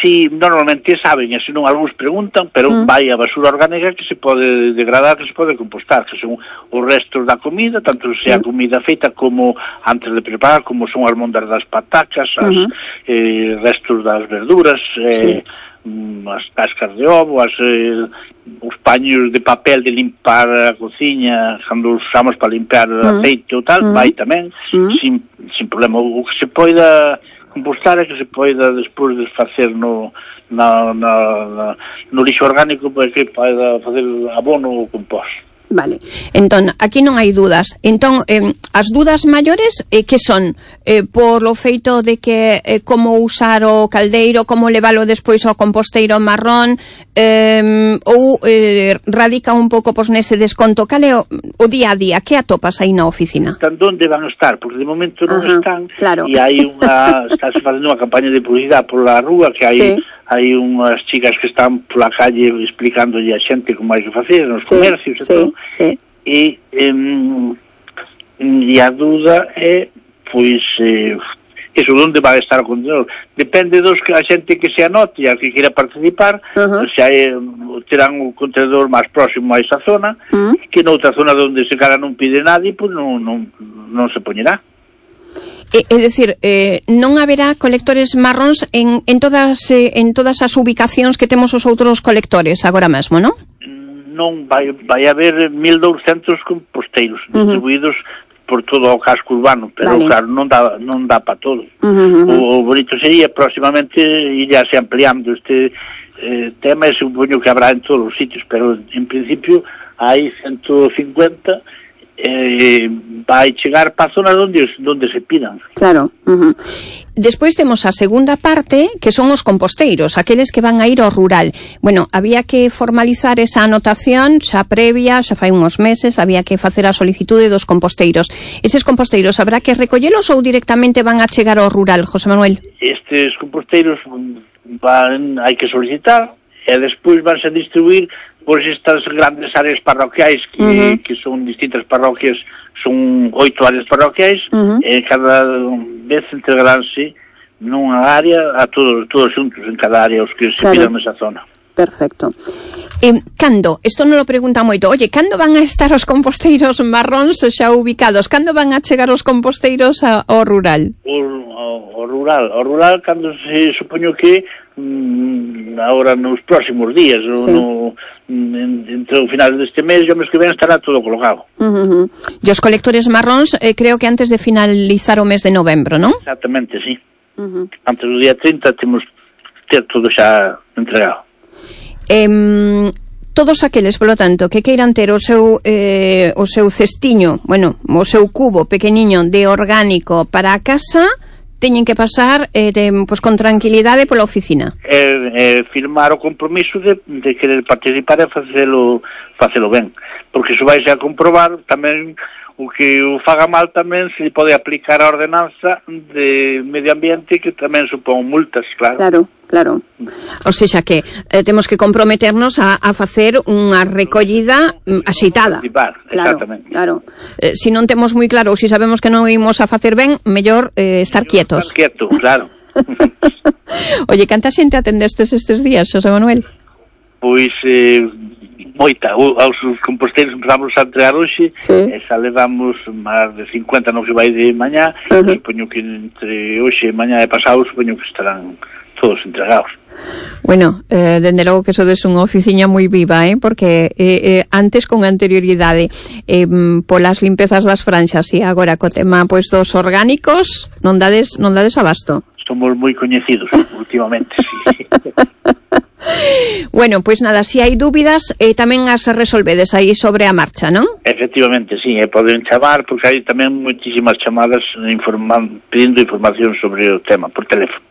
Speaker 11: Sí, normalmente saben, e senón algúns preguntan, pero vai a basura orgánica que se pode degradar, que se pode compostar, que son os restos da comida, tanto sea comida feita como antes de preparar, como son as mondas das patacas, restos das verduras, as cascas de ovo, os paños de papel de limpar a cociña, cando usamos para limpiar aceite ou tal, vai tamén, sin problema. O que se poida compostar é que se poida despois desfacer no lixo orgánico, para que poida facer abono ou compost.
Speaker 3: Vale, entón, aquí non hai dúdas. Entón, as dúdas maiores que son por lo feito de que como usar o caldeiro, como leválo despois ao composteiro marrón, ou radica un pouco pois nese desconto. Cal é o día a día? Que atopas aí na oficina?
Speaker 11: Están onde van a estar, porque de momento non están, e hai estáse facendo unha campaña de publicidade pola rúa, que hai unhas chicas que están pola calle explicándolle a xente como hai que facer nos comercios e todo. E a dúda é, pois, Iso onde vai estar o contenedor. Depende dos que a xente que se anote e a que queira participar, se hai, terán o contenedor máis próximo a esa zona, que noutra zona onde se cara non pide nadie, pois non se poñerá.
Speaker 3: É dicir, non haberá colectores marróns en todas as ubicacións que temos os outros colectores agora mesmo, non?
Speaker 11: Non, vai haber 1.200 composteiros distribuídos por todo o casco urbano, pero claro, non dá para todo. O bonito sería próximamente irse ampliando este tema, e supoño que habrá en todos os sitios, pero en principio hai 150 vai chegar para a zona onde se pidan.
Speaker 3: Claro. Despois temos a segunda parte, que son os composteiros, aqueles que van a ir ao rural. Bueno, había que formalizar esa anotación xa previa, xa fai uns meses, había que facer a solicitude dos composteiros. Eses composteiros habrá que recollelos ou directamente van a chegar ao rural, José Manuel?
Speaker 11: Estes composteiros hai que solicitar e despois vanse a distribuir por estas grandes áreas parroquiais que son distintas parroquias, son 8 áreas parroquiais, e cada vez entregaránse nunha área a todos xuntos en cada área os que se pidan nesa zona.
Speaker 3: Perfecto. Cando? Isto non lo pregunta moito. Oye, cando van a estar os composteiros marróns xa ubicados? Cando van a chegar os composteiros ao rural?
Speaker 11: Ao rural, cando se supoño que agora nos próximos días, entre o final deste mes e o mes que ven estará todo colocado.
Speaker 3: E os colectores marróns creo que antes de finalizar o mes de novembro, non?
Speaker 11: Exactamente, sí. Antes do día 30 temos ter todo xa entregado.
Speaker 3: Todos aqueles, polo tanto, que queiran ter o seu cestiño, bueno, o seu cubo pequeniño de orgánico para a casa, teñen que pasar pues, con tranquilidade pola oficina.
Speaker 11: Firmar o compromiso de querer participar e facelo ben, porque iso vai a comprobar tamén o que o faga mal tamén se pode aplicar a ordenanza de medio ambiente que tamén supón multas, claro.
Speaker 3: Claro. O sexa que temos que comprometernos a facer unha recollida axeitada.
Speaker 11: Exactamente.
Speaker 3: Claro. Se non temos moi claro ou se sabemos que non imos a facer ben, mellor estar quietos.
Speaker 11: Estar quieto, claro.
Speaker 3: Oye, canta xente atendestes estes días, Xosé Manuel?
Speaker 11: Pois moita. Aos composteiros empezamos a entregar hoxe, e xa levamos máis de 50 non se vai de mañá, supoño que entre hoxe e mañá e pasado supoño que estarán todos entregados.
Speaker 3: Bueno, dende logo que sodes unha oficiña moi viva, porque antes con anterioridade polas limpezas das franxas e agora co tema pois dos orgánicos non dades abasto.
Speaker 11: Somos moi coñecidos últimamente, sí.
Speaker 3: Bueno, pois nada, se hai dúbidas tamén as resolvedes aí sobre a marcha, non?
Speaker 11: Efectivamente, sí, poden chamar porque hai tamén moitísimas chamadas pedindo información sobre o tema por teléfono.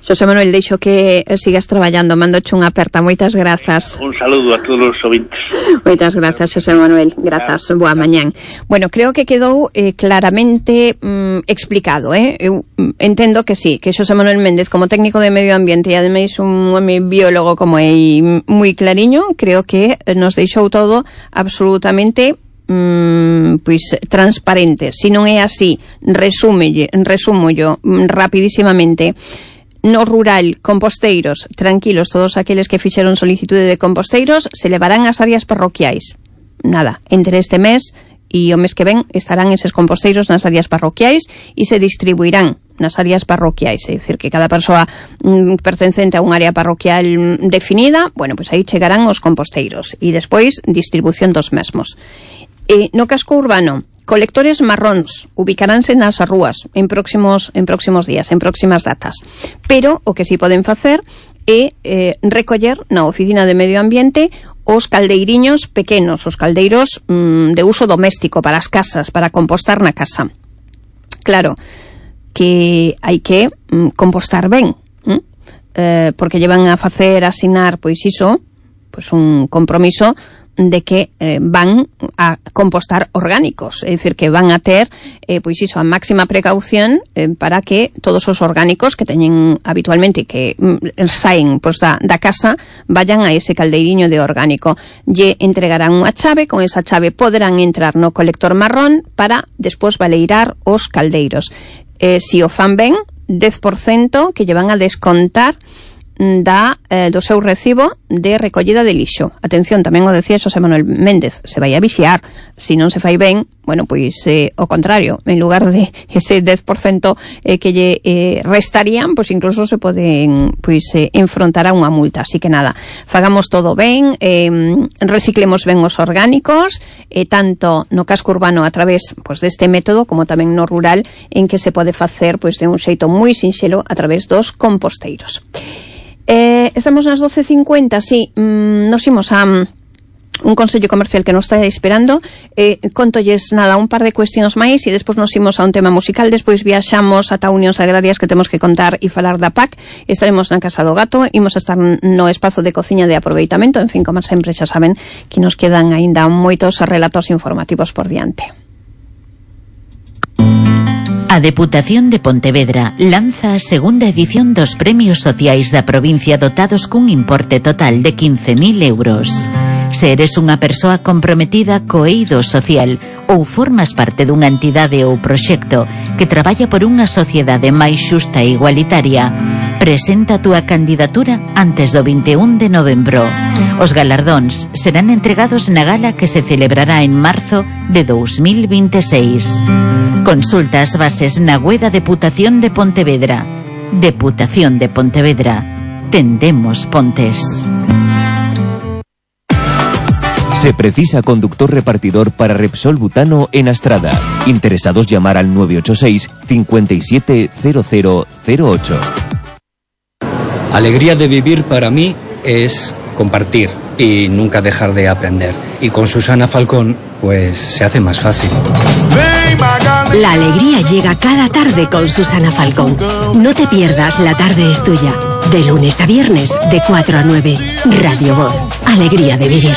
Speaker 3: Xosé Manuel, deixo que sigas traballando, mandoche unha aperta, moitas grazas.
Speaker 11: Un saludo a todos os ouvintes.
Speaker 3: Moitas grazas, Xosé Manuel, grazas, boa mañán. Bueno, creo que quedou claramente explicado, eu entendo que sí, que Xosé Manuel Méndez como técnico de medio ambiente e ademais un home biólogo como é moi clariño, creo que nos deixou todo absolutamente pois transparente. Se non é así, resúmollo rapidísimamente. No rural, composteiros, tranquilos, todos aqueles que fixeron solicitude de composteiros se levarán ás áreas parroquiais. Nada, entre este mes e o mes que ven estarán eses composteiros nas áreas parroquiais e se distribuirán nas áreas parroquiais, é dicir, que cada persoa pertencente a unha área parroquial definida, bueno, pois aí chegarán os composteiros e despois distribución dos mesmos. No casco urbano, colectores marróns ubicaránse nas rúas en próximos días, en próximas datas. Pero o que si poden facer é recoller na oficina de medio ambiente os caldeiriños pequenos, os caldeiros de uso doméstico para as casas, para compostar na casa. Claro que hai que compostar ben, porque llevan a facer asinar pois iso, pois un compromiso de que van a compostar orgánicos, é dicir, que van a ter pois iso, a máxima precaución para que todos os orgánicos que teñen habitualmente que saen pois, da casa vayan a ese caldeiriño de orgánico. Lle entregarán unha chave, con esa chave poderán entrar no colector marrón para despois baleirar os caldeiros. si o fan ben, 10% que lle van a descontar do seu recibo de recollida de lixo. Atención, tamén o decía Xosé Manuel Méndez, se vai a vixiar, se non se fai ben, bueno, pois o contrario, en lugar de ese 10% que lle restarían, pois incluso se poden enfrontar a unha multa. Así que nada, fagamos todo ben, reciclemos ben os orgánicos, tanto no casco urbano a través deste método, como tamén no rural, en que se pode facer de un xeito moi sinxelo a través dos composteiros. Estamos nas 12:50, sí, nos imos a un consello comercial que nos está esperando, contolles nada, un par de cuestións máis e despois nos imos a un tema musical, despois viaxamos ata Unións Agrarias que temos que contar e falar da PAC, estaremos na Casa do Gato, imos a estar no espazo de cociña de aproveitamento, en fin, como sempre xa saben que nos quedan aínda moitos relatos informativos por diante.
Speaker 8: A Deputación de Pontevedra lanza a segunda edición dos Premios Sociais da provincia dotados cun importe total de 15.000 euros. Se eres unha persoa comprometida co eido social ou formas parte dunha entidade ou proxecto que traballa por unha sociedade máis xusta e igualitaria, presenta a túa candidatura antes do 21 de novembro. Os galardóns serán entregados na gala que se celebrará en marzo de 2026. Consulta as bases na web da Deputación de Pontevedra. Deputación de Pontevedra. Tendemos pontes.
Speaker 7: Se precisa conductor repartidor para Repsol Butano en Astrada. Interesados llamar al 986 570008.
Speaker 12: Alegría de vivir para mí es compartir y nunca dejar de aprender. Y con Susana Falcón, pues se hace más fácil.
Speaker 1: La alegría llega cada tarde con Susana Falcón. No te pierdas La Tarde es Tuya. De lunes a viernes, de 4 a 9. Radio Voz. Alegría de vivir.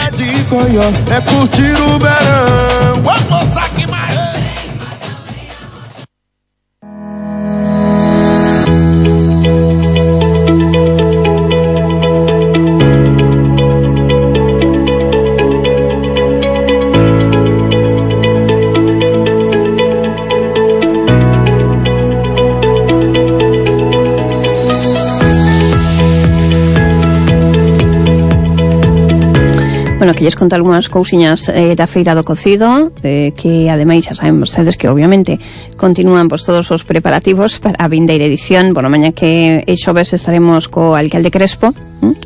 Speaker 3: Bueno, que lles conto algunhas cousiñas da Feira do Cocido, que ademais xa saben vostedes que obviamente continúan todos os preparativos para a vindeira edición. Bueno, mañá que xoves estaremos co alcalde Crespo,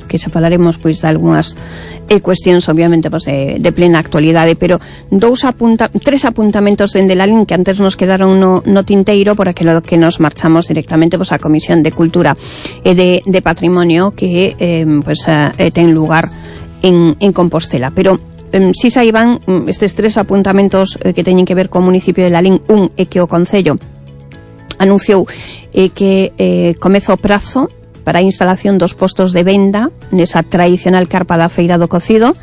Speaker 3: que xa falaremos de algunhas cuestións obviamente de plena actualidade, pero tres apuntamentos dende Lalín que antes nos quedaron no tinteiro por aquilo que nos marchamos directamente á Comisión de Cultura e de Patrimonio que ten lugar en Compostela, pero si saiban estes tres apuntamentos que teñen que ver co municipio de Lalín. Un é que o Concello anunciou que comeza o prazo para a instalación dos postos de venda nesa tradicional carpa da Feira do Cocido.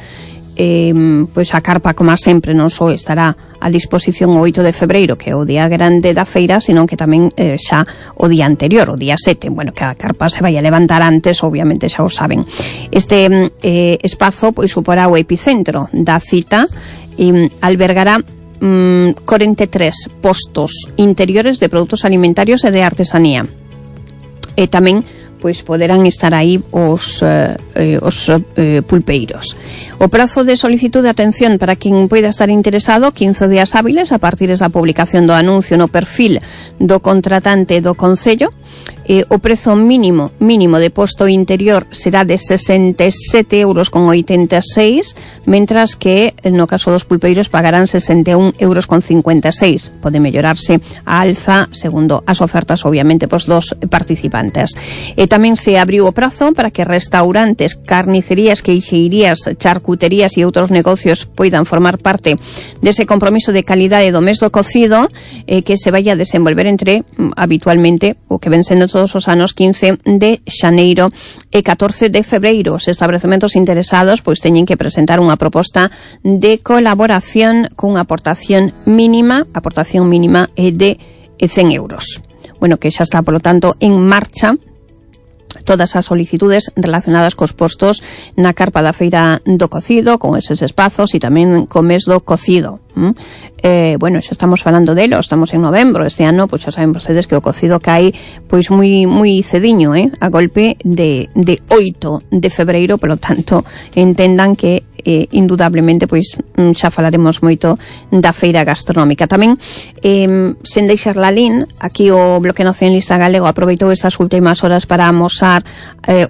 Speaker 3: A carpa, como sempre, non só estará a disposición o 8 de febreiro, que é o día grande da feira, senón que tamén xa o día anterior, o día 7, bueno, que a carpa se vai a levantar antes, obviamente xa o saben. Este espazo suporá o epicentro da cita e albergará 43 postos interiores de produtos alimentarios e de artesanía. E tamén poderán estar aí os pulpeiros. O prazo de solicitud de atención para quen poida estar interesado, 15 días hábiles a partir da publicación do anuncio no perfil do contratante do Concello. O prezo mínimo de posto interior será de 67,86 euros, mentras que no caso dos pulpeiros pagarán 61,56 euros. Pode mellorarse a alza segundo as ofertas obviamente dos participantes. Tamén se abriu o prazo para que restaurantes, carnicerías, queixeirías, charcuterías e outros negocios poidan formar parte dese compromiso de calidade do mes do cocido que se vai a desenvolver entre habitualmente o que ven sendo todos os anos 15 de xaneiro e 14 de febreiro. Os establecementos interesados teñen que presentar unha proposta de colaboración cunha aportación mínima de 100 euros. Bueno, que xa está, polo tanto, en marcha todas as solicitudes relacionadas cos postos na carpa da Feira do Cocido, con eses espazos e tamén co mes do cocido. Bueno, xa estamos falando delo, estamos en novembro este ano, pois xa saben vostedes que o cocido cae pois moi cediño, a golpe de 8 de febreiro, polo tanto entendan que indudablemente pois xa falaremos moito da feira gastronómica. Tamén sen deixar la lin, aquí o Bloque Nacionalista Galego aproveitou estas últimas horas para amosar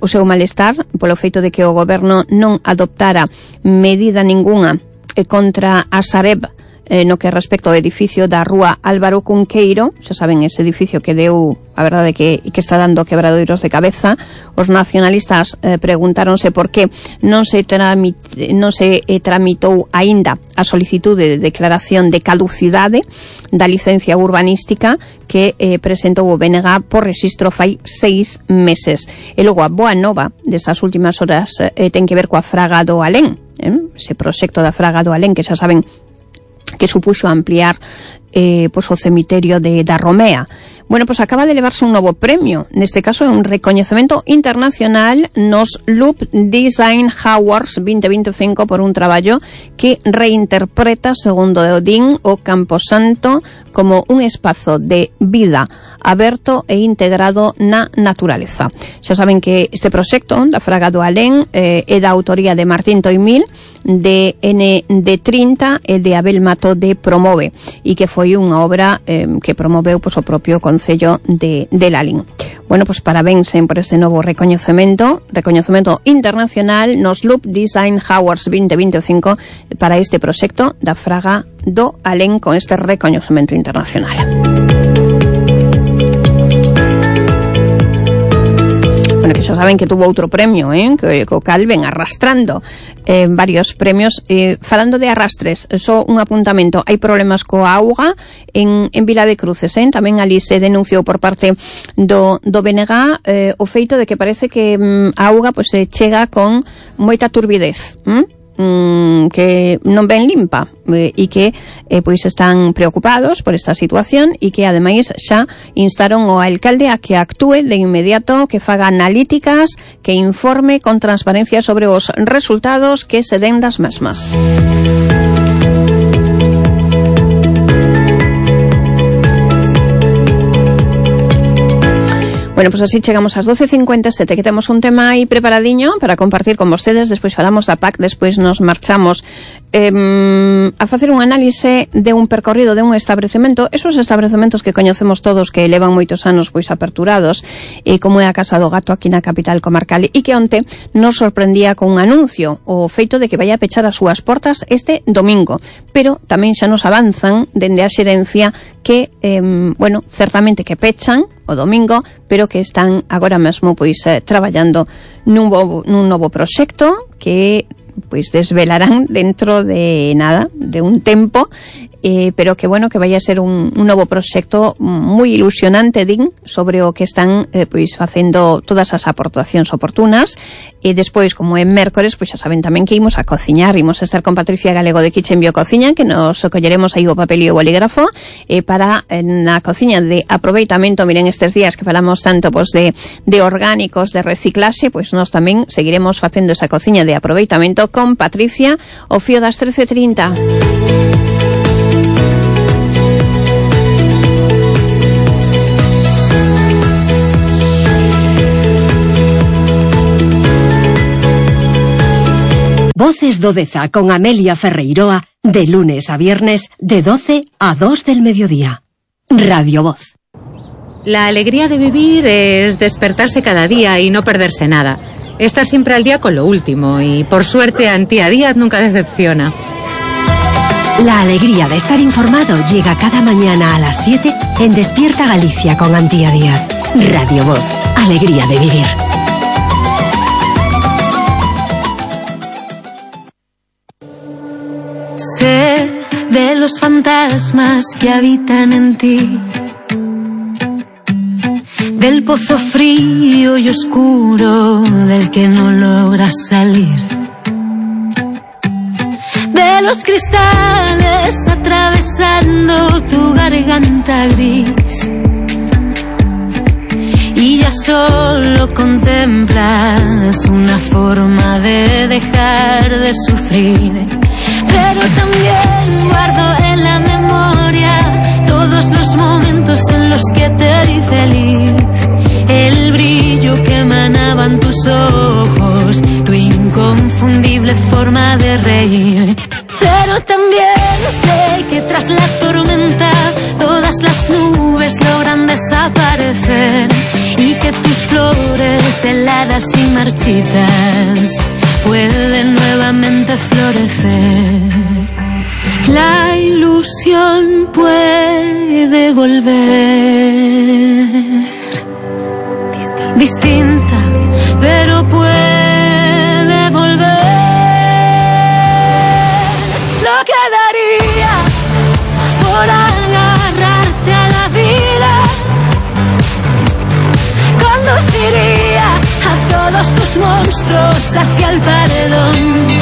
Speaker 3: o seu malestar polo feito de que o goberno non adoptara medida ningunha contra a Sareb no que respecto ao edificio da rúa Álvaro Cunqueiro. Xa saben, ese edificio que deu, a verdade que está dando quebradoiros de cabeza. Os nacionalistas preguntáronse por que non se tramitou aínda a solicitude de declaración de caducidade da licencia urbanística que presentou o BNG por rexistro fai 6 meses. E logo a boa nova destas últimas horas ten que ver coa Fraga do Alén, ese proxecto da Fraga do Alén que xa saben que supuxo ampliar pois o cemiterio da Romea. Bueno, pois acaba de levarse un novo premio, neste caso é un recoñecemento internacional nos Loop Design Awards 2025 por un traballo que reinterpreta, segundo Odín, o Camposanto como un espazo de vida aberto e integrado na naturaleza. Xa saben que este proxecto da Fraga do Alén é da autoría de Martín Toimil, de ND30 e de Abel Mato de Promove, e que foi unha obra que promoveu pois, o propio Concello de Lalín. Bueno, pois parabéns por este novo recoñecemento internacional nos Loop Design Awards 2025 para este proxecto da Fraga do Alén con este recoñecemento internacional. Bueno, que xa saben que tuvo outro premio, que o cal ven arrastrando varios premios. Falando de arrastres, só un apuntamento, hai problemas coa auga en Vila de Cruces, tamén ali se denunciou por parte do BNG o feito de que parece que a auga pois se chega con moita turbidez, que non ben limpa, e que pois están preocupados por esta situación e que ademais xa instaron o alcalde a que actúe de inmediato, que faga analíticas, que informe con transparencia sobre os resultados que se den das mesmas. Bueno, pues así chegamos ás 12:57, que temos un tema aí preparadiño para compartir con vostedes. Despois falamos da PAC, despois nos marchamos a facer un análise de un percorrido de un establecemento, esos establecementos que coñecemos todos que levan moitos anos pois aperturados, e como é a Casa do Gato aquí na capital comarcal, e que onte nos sorprendía con un anuncio, o feito de que vai a pechar as súas portas este domingo, pero tamén xa nos avanzan dende a xerencia que, bueno, certamente que pechan o domingo, pero que están agora mesmo pois traballando nun novo proxecto que pois desvelarán dentro de nada, de un tempo, pero que bueno, que vai a ser un novo proxecto moi ilusionante, din, sobre o que están pois facendo todas as aportacións oportunas. E despois, como é mércores, pois xa saben tamén que imos a cociñar, imos a estar con Patricia Galego de Kitchen Biocociña, que nos colleremos aí o papel e o bolígrafo para na cociña de aproveitamento. Miren, estes días que falamos tanto pois de orgánicos, de reciclaxe, pois nós tamén seguiremos facendo esa cociña de aproveitamento con Patricia ao fío das 13:30.
Speaker 1: Voces do Deza con Amelia Ferreiroa, de lunes a viernes, de 12 a 2 del mediodía. Radio Voz.
Speaker 2: La alegría de vivir es despertarse cada día y no perderse nada. Estar siempre al día con lo último y, por suerte, Antía Díaz nunca decepciona.
Speaker 1: La alegría de estar informado llega cada mañana a las 7 en Despierta Galicia con Antía Díaz. Radio Voz. Alegría de vivir.
Speaker 10: Sé de los fantasmas que habitan en ti, del pozo frío y oscuro del que no logras salir, de los cristales atravesando tu garganta gris. Y ya solo contemplas una forma de dejar de sufrir. Pero también guardo en la memoria todos los momentos en los que te vi feliz. El brillo que emanaban tus ojos, tu inconfundible forma de reír. Pero también sé que tras la tormenta todas las nubes logran desaparecer y que tus flores heladas y marchitas pueden nuevamente florecer. La ilusión puede volver distinta, pero puede volver. Lo que daría por agarrarte a la vida, conduciría a todos tus monstruos hacia el paredón.